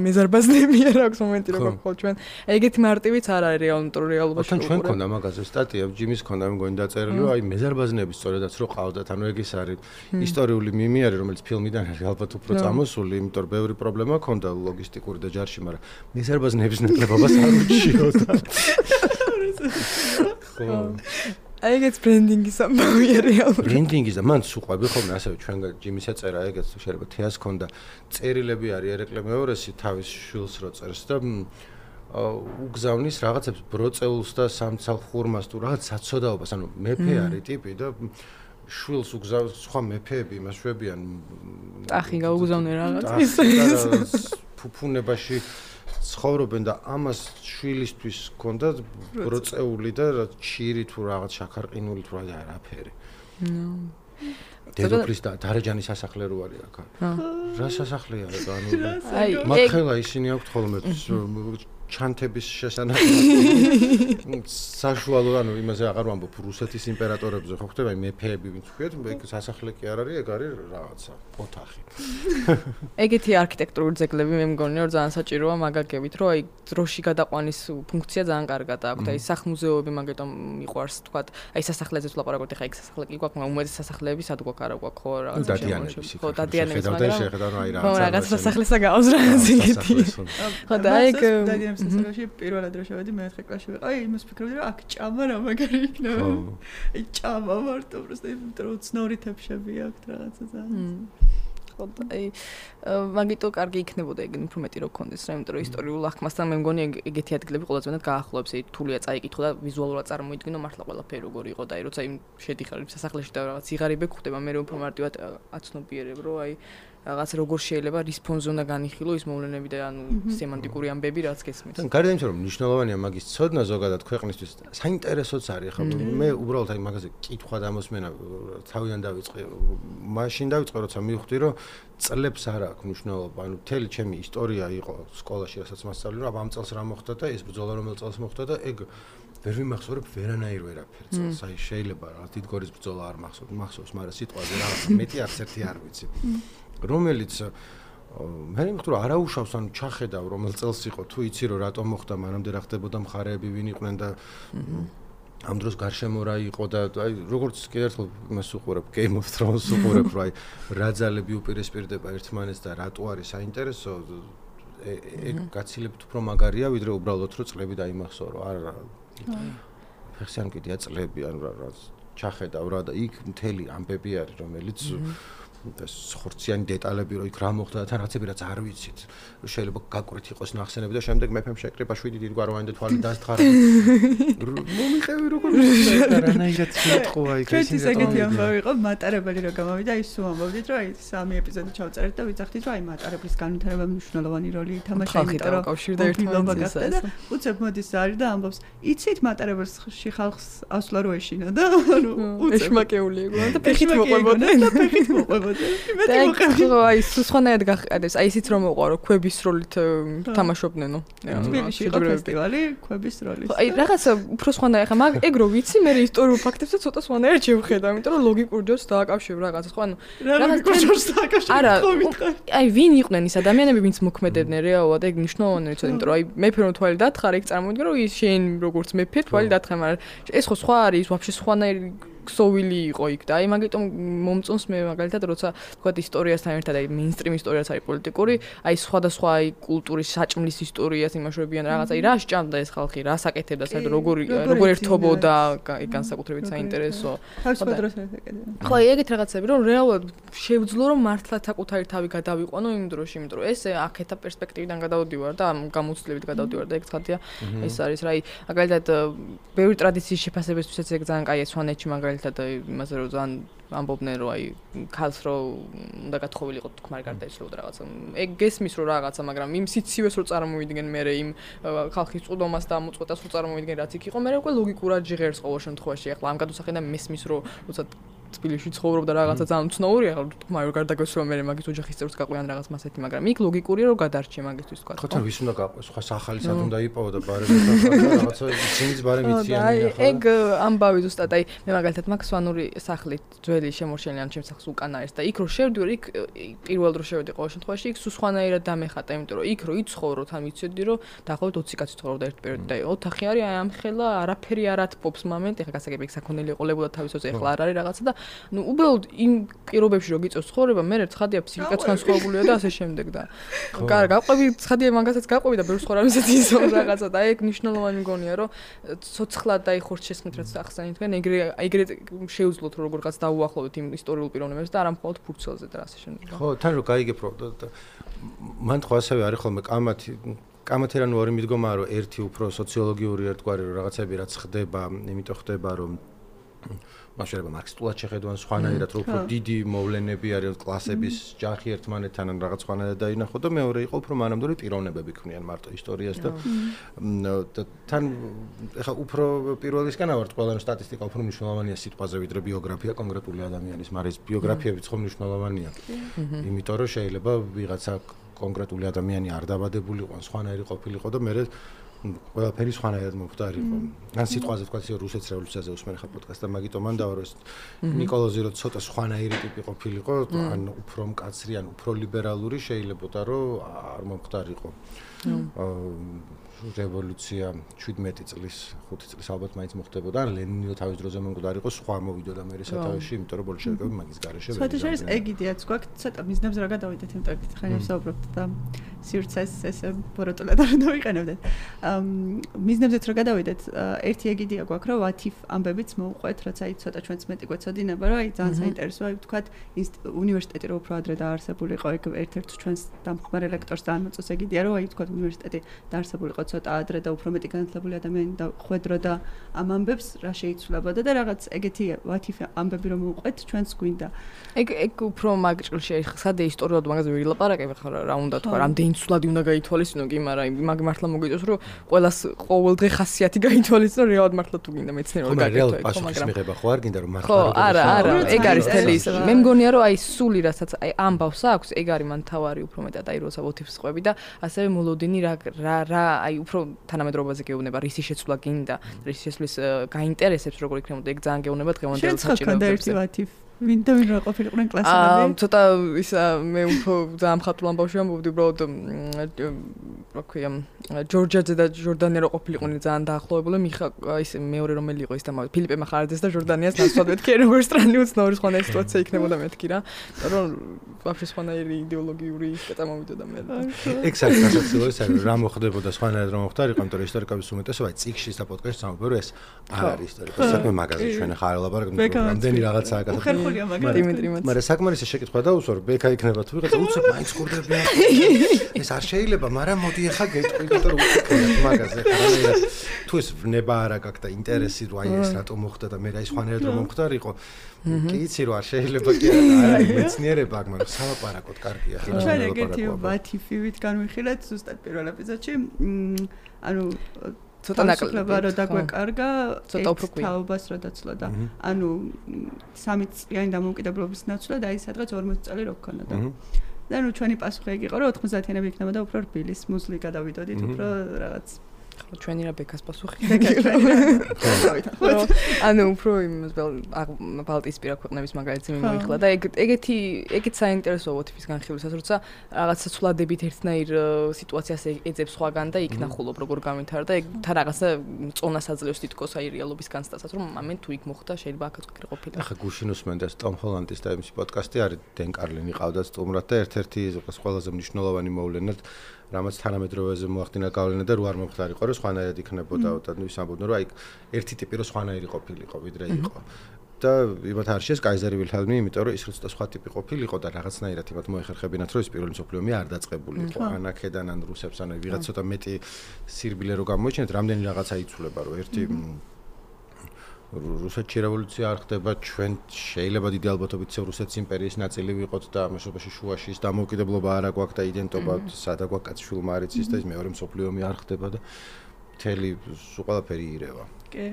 მეზარბაზნები არ აქვს მომენტი რომ გქხოვ ჩვენ. ეგეთი მარტივიც არ არის რეალურ რეალობაში. თან ჩვენ ქონდა მაგაზე სტატია, ჯიმის ქონდა მე მგონი დაწერილი, რომ აი მეზარბაზნები სწორედაც რო ყავდათ, ანუ ეგ ის არის ისტორიული მიმი არის, რომელიც ფილმიდან არის ალბათ უფრო წამოსული, იმიტომ რომ ბევრი პრობლემა ქონდა ლოგისტიკური და ჯარში, მაგრამ მეზარბაზნების ნაკლებობას არ უჩიოდა. ხო. აი ეგეც ბრენდინგის ამბავია რეალურად. ბრენდინგის და მან სუყვები ხოლმე ასევე ჩვენ ჯიმის ეწერა ეგეც შეიძლება თეას ქონდა წერილები არის ერეკლე მეორესი თავის შვილს რო წერს და უგზავნის რაღაცებს ბროწეულს და სამცალხურმას თუ რაღაც საცოდაობას, ანუ მეფე არის ტიპი და შვილს უგზავს სხვა მეფეები იმას შვებიან. ტახი გაუგზავნე რაღაც. ფუფუნებაში ცხოვრობენ და ამას შვილისთვის ჰქონდა ბროწეული და ჩირი თუ რაღაც შაქარყინული თუ რა არაფერი. დედოფლის და დარეჯანის სასახლე რო არის აქ. რა სასახლეა ეგ ანუ მათხელა ისინი აქვთ ხოლმე ჩანთების შესანახი საშუალო ანუ იმაზე აღარ ვამბობ რუსეთის იმპერატორებზე ხო ხდება მეფეები ვინც ვქეთ ეგ სასახლე კი არ არის ეგ არის რაღაცა ოთახი ეგეთი არქიტექტურული ძეგლები მე მგონი რომ ძალიან საჭიროა მაგაგებით რომ აი დროში გადაყვანის ფუნქცია ძალიან კარგად აქვს აი სახლ-მუზეუმები მაგიტომ მიყვარს თქვათ აი სასახლეზეც ვლაპარაკობთ ხა ეგ სასახლე კი გვაქვს მაგრამ უმეტეს სასახლეები სად გვაქვს არა გვაქვს ხო რაღაცა დადიანების ხო დადიანების მაგრამ შეხედავ აი რაღაცა რაღაც სასახლესა გაავს რაღაც ეგეთი ხო და აი დადიანების სასახლეში პირველად რო შევედი მეოთხე კლასში ვიყავ აი იმას ფიქრობდი რომ აქ ჭამა რა მაგარი იქნება აი ჭამა მარტო პროსტა იმიტომ რომ ცნორი თეფშები აქვს რაღაცა ძალიან ხო აი მაგიტო კარგი იქნებოდა ეგ უფრო მეტი რო გქონდეს რა იმიტომ რომ ისტორიულ აღქმასთან მე მგონი ეგეთი ადგილები ყველაზე მეტად გაახლოებს აი თულია წაიკითხო და ვიზუალურად წარმოიდგინო მართლა ყველაფერი როგორი იყო და აი როცა იმ შედიხარ იმ სასახლეში და რაღაც სიღარიბე გვხდება მე რომ უფრო მარტივად აცნობიერებ რომ აი რაღაც როგორ შეიძლება რის ფონზე უნდა განიხილო ის მოვლენები და ანუ სემანტიკური ამბები რაც გესმის. თან გარდა იმისა რომ მნიშვნელოვანია მაგის ცოდნა ზოგადად ქვეყნისთვის საინტერესოც არის ხო მე უბრალოდ აი მაგაზე კითხვა დამოსმენა თავიდან დავიწყე მაშინ დავიწყე როცა მივხვდი რომ წლებს არ აქვს მნიშვნელობა ანუ მთელი ჩემი ისტორია იყო სკოლაში რასაც მასწავლე რომ ამ წელს რა მოხდა და ეს ბრძოლა რომელ წელს მოხდა და ეგ ვერ ვიმახსოვრებ ვერანაირ ვერაფერ წელს აი შეიძლება რა დიდგორის ბრძოლა არ მახსოვს მახსოვს მაგრამ სიტყვაზე რა მეტი არც ერთი არ ვიცი რომელიც მე მიხდი რომ არაუშავს ანუ ჩახედავ რომელ წელს იყო თუ იცი რომ რატომ მოხდა მანამდე რა ხდებოდა მხარეები ვინ იყვნენ და ამ დროს გარშემო რა იყო და აი როგორც კიდევ ერთხელ იმას უყურებ Game of Thrones უყურებ რა აი რა ძალები უპირისპირდება ერთმანეთს და რატო არის საინტერესო ეგ გაცილებთ უფრო მაგარია ვიდრე უბრალოდ რომ წლები დაიმახსოვრო არა ფეხსიან კიდია წლები ანუ რა ჩახედავ რა და იქ მთელი ამბები არის რომელიც და ხორციანი დეტალები რო იქ რა მოხდა და თან რაღაცები რაც არ ვიცით შეიძლება გაკვირთ იყოს ნახსენები და შემდეგ მეფემ შეკრიბა შვიდი დიდგვაროვანი და თვალი დასთხარა მომიყევი როგორ და რანაირად შეტყვა იქ ეს ის ეგეთი ამბავი იყო მატარებელი რო გამოვიდა ის სულ ამბობდით რომ აი სამი ეპიზოდი ჩავწერეთ და ვიცახდით რომ აი მატარებლის განვითარება მნიშვნელოვანი როლი ითამაშა იმიტომ რომ კავშირდა ერთმანეთს და უცებ მოდის არის და ამბობს იცით მატარებელში ხალხს ასვლა რო ეშინა და ანუ უცებ ეშმაკეული იყო და ფეხით მოყვებოდა და ფეხით მოყვებოდა და აი სხვანაირად გაყიდეს აი ისიც რომ მოყვარო ქვების როლით თამაშობდნენო თბილისში იყო ფესტივალი ქვების როლით აი რაღაცა უფრო სხვანაირად ხა მაგ ეგ რო ვიცი მე ისტორიულ ფაქტებსაც ცოტა სხვანაირად შევხედავ იმიტომ რომ ლოგიკურ ჯერს დააკავშირებ რაღაცა ხო ანუ რაღაცა ჯერს დააკავშირებ არა აი ვინ იყვნენ ის ადამიანები ვინც მოქმედებდნენ რეალურად ეგ მნიშვნელოვანია ცოტა იმიტომ რომ აი მეფე რომ თვალი დათხარა ეგ წარმოვიდგინე რომ ის შენ როგორც მეფე თვალი დათხარა მაგრამ ეს ხო სხვა არის ვაფშე სხვანაირი ქსოვილი იყო იქ და აი მაგიტომ მომწონს მე მაგალითად როცა თქვა ისტორიასთან ერთად აი მეინსტრიმ ისტორიაც არის პოლიტიკური აი სხვადასხვა აი კულტურის საჭმლის ისტორიას იმაშობიან რაღაც აი რა სჭამდა ეს ხალხი რა საკეთებდა საერთოდ როგორ როგორ ერთობოდა აი განსაკუთრებით საინტერესო თავისუფალ დროს ეკეთებდა ხო აი ეგეთ რაღაცები რომ რეალურად შევძლო რომ მართლაც საკუთარი თავი გადავიყვანო იმ დროში იმიტომ რომ ეს აქეთა პერსპექტივიდან გადავდივარ და გამოცდილებით გადავდივარ და ეგ ცხადია ეს არის რა აი მაგალითად ბევრი ტრადიციის შეფასებისთვისაც ეგ ძალიან კაია სვანეთში მაგალითად და იმაზე რომ ძალიან ამბობდნენ რომ აი ქალს რო უნდა გათხოვილიყო თქმარი გარდაიცვალა რაღაცა ეგ გესმის რომ რაღაცა მაგრამ იმ სიცივეს რო წარმოვიდგენ მე იმ ხალხის წვდომას და მოწყვეტას რო წარმოვიდგენ რაც იქ იყო მე უკვე ლოგიკურად ჟღერს ყოველ შემთხვევაში ახლა ამ გადასახედიდან მესმის რომ როცა თბილისში ცხოვრობდა რაღაცა ძალიან ცნობილია ახლა თქმარი რომ გარდაგეცვალა მე მაგის ოჯახის წევრს გაყვიან რაღაც მასეთი მაგრამ იქ ლოგიკურია რომ გადარჩე მაგისთვის თქვა ხო თან ვის უნდა გაყვეს სხვა სახალი სად უნდა იპოვო და ბარემ რაღაცა ისინიც ბარემ იციან ახლა ეგ ამბავი ზუსტად აი მე მაგალითად მაგ სვანური სახლით ძველი შემორჩენილი ამ ჩემს სახლს უკან არის და იქ რო შევდივარ იქ პირველ დრო შევედი ყოველ შემთხვევაში იქ სულ სხვანაირად დამეხატა იმიტომ რომ იქ რო იცხოვრო თან ვიცოდი რომ დაახლოებით ოცი კაცი ცხოვრობდა ერთ პერიოდში და ოთახი არის აი ამ ხელა არაფერი არ ათბობს მომენტი ახლა გასაგები იქ საქონელი ყოლებოდა თავის ოცი ახლა არ არის რაღაცა და ნუ უბრალოდ იმ პირობებში რო გიწევს ცხოვრება მე ცხადია ფსიქიკაც განსხვავებულია და ასე შემდეგ და კარგი გაყვები ცხადია მაგასაც გაყვები და ბევრ სხვა რამესაც იზომ რაღაცა და ეგ მნიშვნელოვანი მგონია რომ ცოცხლად და ხორც შესხმით რაც ახსენეთ თქვენ ეგრე ეგრე შეუძლოთ რომ როგორღაც დაუახლოვოთ იმ ისტორიულ პიროვნებებს და არა მხოლოდ ფურცელზე და ასე შემდეგ ხო თან რო გაიგებ რომ მან ხო ასევე არის ხოლმე კამათი კამათერანი ორი მიდგომაა რომ ერთი უფრო სოციოლოგიური ერთგვარი რომ რაღაცები რაც ხდება იმიტომ ხდება რომ მას შეიძლება მარქსისტულად შეხედვან სხვანაირად რომ უფრო დიდი მოვლენები არის კლასების ჯახი ერთმანეთთან ან რაღაც სხვანაირად დაინახო და მეორე იყო უფრო მანამდური პიროვნებები ქმნიან მარტო ისტორიას და თან ეხა უფრო პირველისგან ავართ ყველანი სტატისტიკა უფრო მნიშვნელოვანია სიტყვაზე ვიდრე ბიოგრაფია კონკრეტული ადამიანის მაგრამ ბიოგრაფიებიც ხო მნიშვნელოვანია იმიტომ რომ შეიძლება ვიღაცა კონკრეტული ადამიანი არ დაბადებულიყო სხვანაირი ყოფილიყო და მე ყველაფერი სხვანაირად მომხდარიყო. ან სიტყვაზე თქვა ისე რუსეთის რევოლუციაზე უსმენ ხა პოდკასტს და მაგიტომ მან დავარო ეს ნიკოლოზი რო ცოტა სხვანაირი ტიპი ყოფილიყო, ან უფრო მკაცრი, ან უფრო ლიბერალური შეიძლებოდა რომ არ მომხდარიყო. რევოლუცია შვიდმეტი წლის, ხუთი წლის ალბათ მაინც მოხდებოდა, ან ლენინი თავის დროზე მომხდარიყო, სხვა მოვიდოდა მე სათავეში, იმიტომ რომ ბოლშევიკები მაგის გარეშე ვერ იყვნენ. ცოტა ეგ იდეაც გვაქვს, ცოტა მიზნებს რა გადავიდეთ იმ ტექსტში, ხან ვისაუბრობთ და სივრცეს ესე ბოროტულად არ დავიყენებდეთ. მიზნებზეც რო გადავიდეთ, ერთი ეგიდია გვაქვს, რომ what if ამბებიც მოუყვეთ, რაც აი ცოტა ჩვენც მეტი გვეცოდინება, რომ აი ძალიან საინტერესოა, აი ვთქვათ, უნივერსიტეტი რო უფრო ადრე დაარსებულიყო, ეგ ერთ-ერთ ჩვენს დამხმარე ლექტორს ძალიან მოწონს ეგიდია, რომ აი ვთქვათ, უნივერსიტეტი დაარსებულიყო ცოტა ადრე და უფრო მეტი განათლებული ადამიანი და ხვედრო და ამ ამბებს რა შეიცვლებოდა და რაღაც ეგეთი what if ამბები რომ მოუყვეთ, ჩვენც გვინდა. ეგ ეგ უფრო მაგჭილში ხსადე ისტორიულად მაგაზე ვილაპარაკებ ხარ რა უნდა თქვა, რამდენი ცვლადი უნდა გაითვალისწინო კი, მაგრამ მაგ მართლა მოგიწევს რომ ყველას ყოველდღე ხასიათი გაითვალისწინო რეალურად მართლა თუ გინდა მეცნიერულად გაკეთო ეგ, მაგრამ მიღება ხო არ გინდა რომ მართლა ხო, არა, არა, ეგ არის თელი ის. მე მგონია რომ აი სული რასაც აი ამბავს აქვს, ეგ არის მან თავარი უფრო მეტად აი როცა motives ყვები და ასევე მოლოდინი რა რა რა აი უფრო თანამედროვეობაზე გეუბნება, რისი შეცვლა გინდა, რისი შეცვლის გაინტერესებს როგორ იქნებოდა, ეგ ძალიან გეუბნება დღევანდელ საჭიროებებზე. ვინდა ვინ რა ყოფილიყვნენ კლასელები? ცოტა ის მე უფრო ძალიან მხატვრულ ამბავში ამბობდი, უბრალოდ რა ქვია, ჯორჯიაძე და ჟორდანია რა ყოფილიყვნენ ძალიან დაახლოებული, მიხა ის მეორე რომელი იყო ის და ფილიპე მახარაძეს და ჟორდანიას ნაცვლად მეთქი, როგორ სტრანი უცნაური სხვანაირი სიტუაცია იქნებოდა მეთქი რა. რომ ვაფშე სხვანაირი იდეოლოგიური კეთა მომიდოდა მე. ეგ საერთოდ ის არის რა მოხდებოდა სხვანაირად რომ მოხდა, იყო იმიტომ რომ ისტორიკების უმეტესობა წიგნში და პოდკასტში ამბობ, რომ ეს არ არის ისტორიკა. საქმე მაგაზე ჩვენ ახლა არ ელაპარაკობთ, რამდენი რაღაცაა გასაგები. მაგრამ საკმარისი შეკითხვა დაუსვარ, ბექა იქნება თუ ვიღაცა უცებ მაინც ხურდებია. ეს არ შეიძლება, მაგრამ მოდი ახლა გეტყვი, იმიტომ რომ უცებ მაგაზე ხარ. თუ ეს ნება არა გაქვს და ინტერესი რომ აი ეს რატომ მოხდა და მე რა ის ხანერად რომ მომხდარიყო. კი იცი რომ არ შეიძლება კი არა, მეცნიერება აქ, მაგრამ სალაპარაკოდ კარგია. ჩვენ ეგეთი what if-ით განვიხილეთ ზუსტად პირველ ეპიზოდში. ანუ ცოტა ნაკლება რო დაგვეკარგა, ცოტა უფრო თაობას რო დაცლა და ანუ სამი წლიანი დამოუკიდებლობის ნაცვლად აი სადღაც ორმოცი წელი რო გქონდა და და ნუ ჩვენი პასუხი ეგ იყო რომ ოთხმოცდაათიანები იქნებოდა უფრო რბილის მუზლი გადავიდოდით უფრო რაღაც ხო ჩვენი რა ბეკას პასუხი ანუ უფრო იმას ბალტიისპირა ქვეყნების მაგალითი მიმოიხლა და ეგ ეგეთი ეგეთ საინტერესოა what-if-ის განხილვისას როცა რაღაცა ცვლადებით ერთნაირ სიტუაციას ეძებს სხვაგან და იქ ნახულობ როგორ გამithara და ეგ თან რაღაცა წონას აძლევს თითქოს აი რეალობის განცდასაც რომ ამენ თუ იქ მოხდა შეიძლება აქაც ყოფილი ახლა გუშინ უსმენდეს ტომ ჰოლანდის და იმის პოდკასტი არის დენ კარლინი ყავდათ სტუმრად და ერთ-ერთი ყველაზე მნიშვნელოვანი მოვლენად რამაც თანამედროვეზე მოახდინა გავლენა და რო არ მომხდარიყო რომ სხვანაირად იქნებოდა და ნუ ის ამბობდნენ რომ აი ერთი ტიპი რო სხვანაირი ყოფილიყო ვიდრე იყო და იმათ არ შეეს კაიზერი ვილჰელმი იმიტომ რომ ის რო სხვა ტიპი ყოფილიყო და რაღაცნაირად იმათ მოეხერხებინათ რომ ის პირველი მსოფლიო ომი არ დაწყებულიყო ან აქედან ან რუსებსთან ან ვიღაც ცოტა მეტი სირბილე რო გამოიჩინეთ რამდენი რაღაცა იცვლება რომ ერთი რუსეთში რევოლუცია არ ხდება ჩვენ შეიძლება დიდი ალბათობით ისევ რუსეთის იმპერიის ნაწილი ვიყოთ და ამაშობაში შუაში ის დამოუკიდებლობა არ აქვს და იდენტობა სადა გვაქვს კაცშვილმა არ იცის და ის მეორე მსოფლიო ომი არ ხდება და მთელი სულ ყველაფერი ირევა. კი.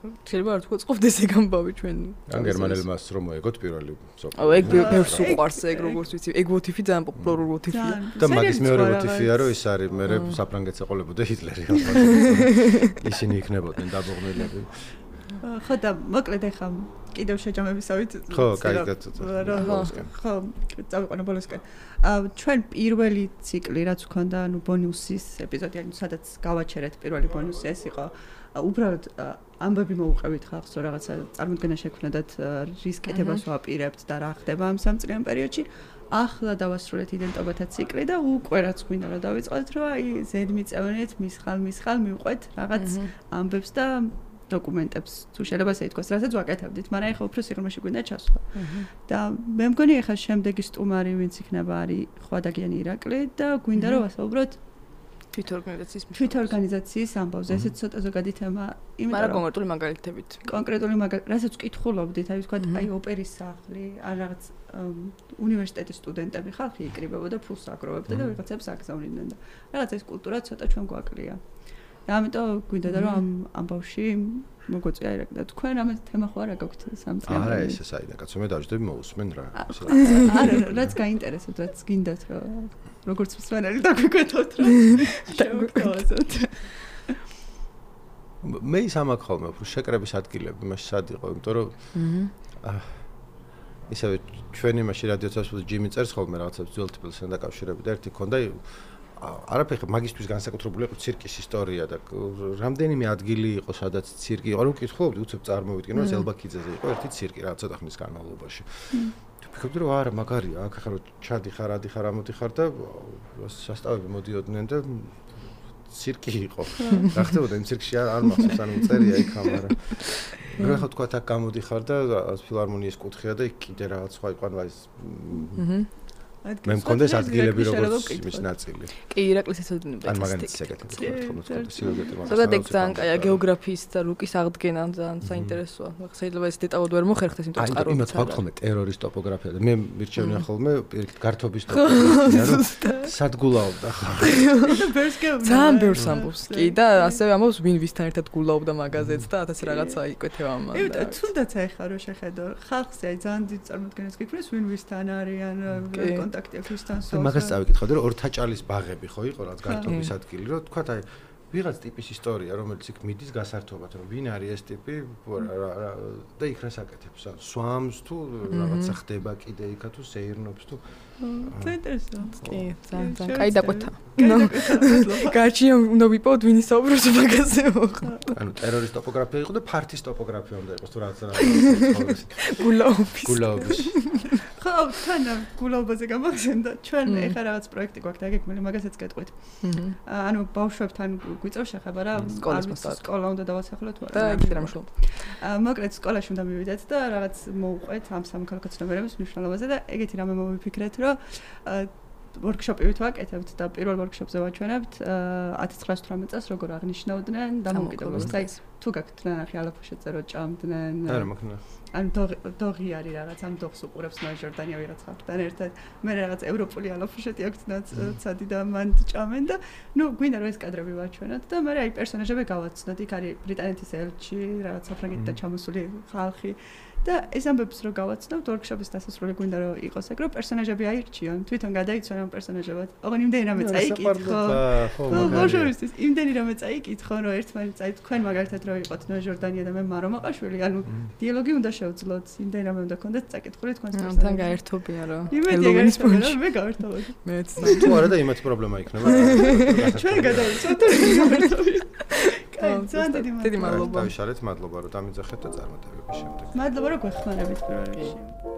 შეიძლება არ თქვა ყოფდეს ეგ ამბავი ჩვენ ან გერმანელმა რომ მოეგოთ პირველი მსოფლიო. აუ ეგ ბევრს უყვარს ეგ როგორც ვიცი ეგ what-if-ი ძალიან პოპულარული what-if-ია. და მაგის მეორე what-if-ია რომ ის არის მე საფრანგეთს ეყოლებოდა ჰიტლერი. ისინი იქნებოდნენ დაბოღმილები. ხო და მოკლედ ახლა კიდევ შეჯამებისავით ხო, კაი ცოტა. ხო, წავიყვანო ბოლოსკენ. ჩვენ პირველი ციკლი რაც ვქონდა, ანუ ბონუსის ეპიზოდი, ანუ სადაც გავაჩერეთ პირველი ბონუსი ეს იყო უბრალოდ ამბები მოუყევით ხალხს რომ რაღაცა წარმოდგენა შექმნათ რის კეთებას ვაპირებთ და რა ხდება ამ სამწლიან პერიოდში. ახლა დავასრულეთ იდენტობათა ციკლი და უკვე რაც გვინდა რომ დავიწყოთ რომ აი ზედმიწევნით მისხალ მისხალ მივყვეთ რაღაც ამბებს და დოკუმენტებს თუ შეიძლება ასე ითქვას, რასაც ვაკეთებდით, მაგრამ ეხლა უფრო სიღრმეში გვინდა ჩასვლა. და მე მგონი ეხლა შემდეგი სტუმარი ვინც იქნება არის ხვადაგიანი ირაკლი და გვინდა რომ ვასაუბროთ თვითორგანიზაციის თვითორგანიზაციის ამბავზე. ესეც ცოტა ზოგადი თემა, იმიტომ რომ კონკრეტული მაგალითებით. კონკრეტული მაგალითი, რასაც ვკითხულობდით, აი ვთქვათ, აი ოპერის სახლი, ან რაღაც უნივერსიტეტის სტუდენტები ხალხი იკრიბებოდა ფულს აგროვებდა და ვიღაცებს აგზავნიდნენ და რაღაც ეს კულტურა ცოტა ჩვენ გვაკლია. და ამიტომ გვინდა რომ ამ ამბავში მოგვეწია ირაკლი და თქვენ რამე თემა ხო არა გაქვთ სამწლიანი? არა ესე საიდან კაცო მე დავждები მოусმენ რა. არა რაც გაინტერესებთ, რაც გინდათ რომ როგორც მსვენელი დაგვიკვეთოთ რა. დაგვიკვეთოთ. მე ის ამაკ ხოლმე უფრო შეკრების ადგილები მაშინ სად იყო, იმიტომ რომ ისევ ჩვენი მაშინ რადიოთას ჯიმი წერს ხოლმე რაღაცებს ძველ თბილისთან დაკავშირებით და ერთი ქონდა არაფერი მაგისტრის განსაკუთრებული იყო ცირკის ისტორია და რამდენიმე ადგილი იყო სადაც ცირკი იყო რომ ვკითხულობდი უცებ წარმოვიდგინე რომ ზელბაქიძეზე იყო ერთი ცირკი რა ცოტა ხნის განმავლობაში. ვფიქრობდი რომ არა მაგარია აქ ახლა რომ ჩადიხარ ადიხარ ამოდიხარ და სასტავები მოდიოდნენ და ცირკი იყო. რა ხდებოდა იმ ცირკში არ მახსოვს, ანუ წერია იქ ამარა. რა ხო თქვა აქ გამოდიხარ და ფილარმონიის კუთხეა და იქ კიდე რაღაც სხვა იყო, ანუ ეს მე მქონდეს ადგილები როგორც მის ნაწილი. კი, ირაკლის ეცოდინებდა. ან მაგალითად ეგეთი მქონდა თქო, სიუჟეტი მაგას. ზოგადად ეგ ძალიან კაია გეოგრაფიის და რუკის აღდგენა ძალიან საინტერესოა. შეიძლება ეს დეტალურად ვერ მოხერხდეს, იმიტომ რომ წყაროა. აი, იმათ ხავთ ხოლმე ტერორის ტოპოგრაფია და მე მირჩევნია ხოლმე გართობის ტოპოგრაფია, რომ სადგულაობდა ხო. ძალიან ბევრს ამბობს. კი და ასევე ამბობს ვინ ვისთან ერთად გულაობდა მაგაზეც და ათასი რაღაცა იკვეთება ამან. იმიტომ თუნდაც აიხა რო შეხედო ხალხზე აი ძალიან დიდ წარმოდგენას გიქნეს ვინ ვისთან არიან კონტაქტი აქვს ვისთან სულ. მაგას წავიკითხავდი რომ ორთაჭალის ბაღები ხო იყო რაც გარტობის ადგილი რომ თქვა აი ვიღაც ტიპის ისტორია რომელიც იქ მიდის გასართობად რომ ვინ არის ეს ტიპი და იქ რას აკეთებს სვამს თუ რაღაცა ხდება კიდე იქა თუ სეირნობს თუ საინტერესოა. კი, ძალიან ძალიან კაი დაკვეთა. გარჩია უნდა ვიპოვოთ ვინ ისაუბრებს მაგაზე ხო. ანუ ტერორის ტოპოგრაფია იყო და ფართის ტოპოგრაფია უნდა იყოს თუ რაღაცა გულაობის. გულაობის. ხო, თან გულაობაზე გამახსენდა. ჩვენ ეხა რაღაც პროექტი გვაქვს და ეგ მე მაგასაც გეტყვით. ანუ ბავშვებთან გვიწევს შეხება რა, სკოლა უნდა დავასახლოთ თუ არა. და კიდე რამ შულობ. მოკლედ სკოლაში უნდა მივიდეთ და რაღაც მოუყვეთ ამ სამოქალაქო ცნობიერების მნიშვნელობაზე და ეგეთი რამე მოვიფიქრეთ, რომ ვორქშოპი ვაკეთებთ და პირველ ვორქშოპზე ვაჩვენებთ ათას ცხრაას ათვრამეტ წელს როგორ აღნიშნავდნენ დამოუკიდებლობას. აი თუ გაქვთ ნახე ალაფუშეზე რო ჭამდნენ. არა მაქნა. ან დოღი არის რაღაც ამ დოღს უყურებს ნაჟორდანია ვიღაც ხალხთან ერთად. მე რაღაც ევროპული ალაფუშეტი აქვს ნაცადი და მან ჭამენ და ნუ გვინდა რომ ეს კადრები ვაჩვენოთ და მე აი პერსონაჟები გავაცნოთ. იქ არის ბრიტანეთის ელჩი, რაღაც საფრანგეთიდან ჩამოსული ხალხი. და ეს ამბებს რო გავაცნობთ ვორქშოპის დასასრული გვინდა რომ იყოს ეგ რომ პერსონაჟები აირჩიონ თვითონ გადაიცვალონ ამ პერსონაჟებად ოღონ იმდენი რამე წაიკითხო ხო ბავშვებისთვის იმდენი რამე წაიკითხო რომ ერთმანეთს აი თქვენ მაგალითად რო იყოთ ნოჟორდანია და მე მარომაყაშვილი ანუ დიალოგი უნდა შევძლოთ იმდენი რამე უნდა გქონდეთ წაიკითხული თქვენს პერსონაჟს თან გაერთობია რომ ჰელოვინის პონჩი მე გავერთობოდი მეც თუ არა და იმათ პრობლემა იქნება ჩვენ გადაიცვალთ გაერთობია დიდი მადლობა. დავიშალეთ, მადლობა რომ დამიძახეთ და წარმატებების შემდეგ. მადლობა რომ გვეხმარებით პირველ რიგში.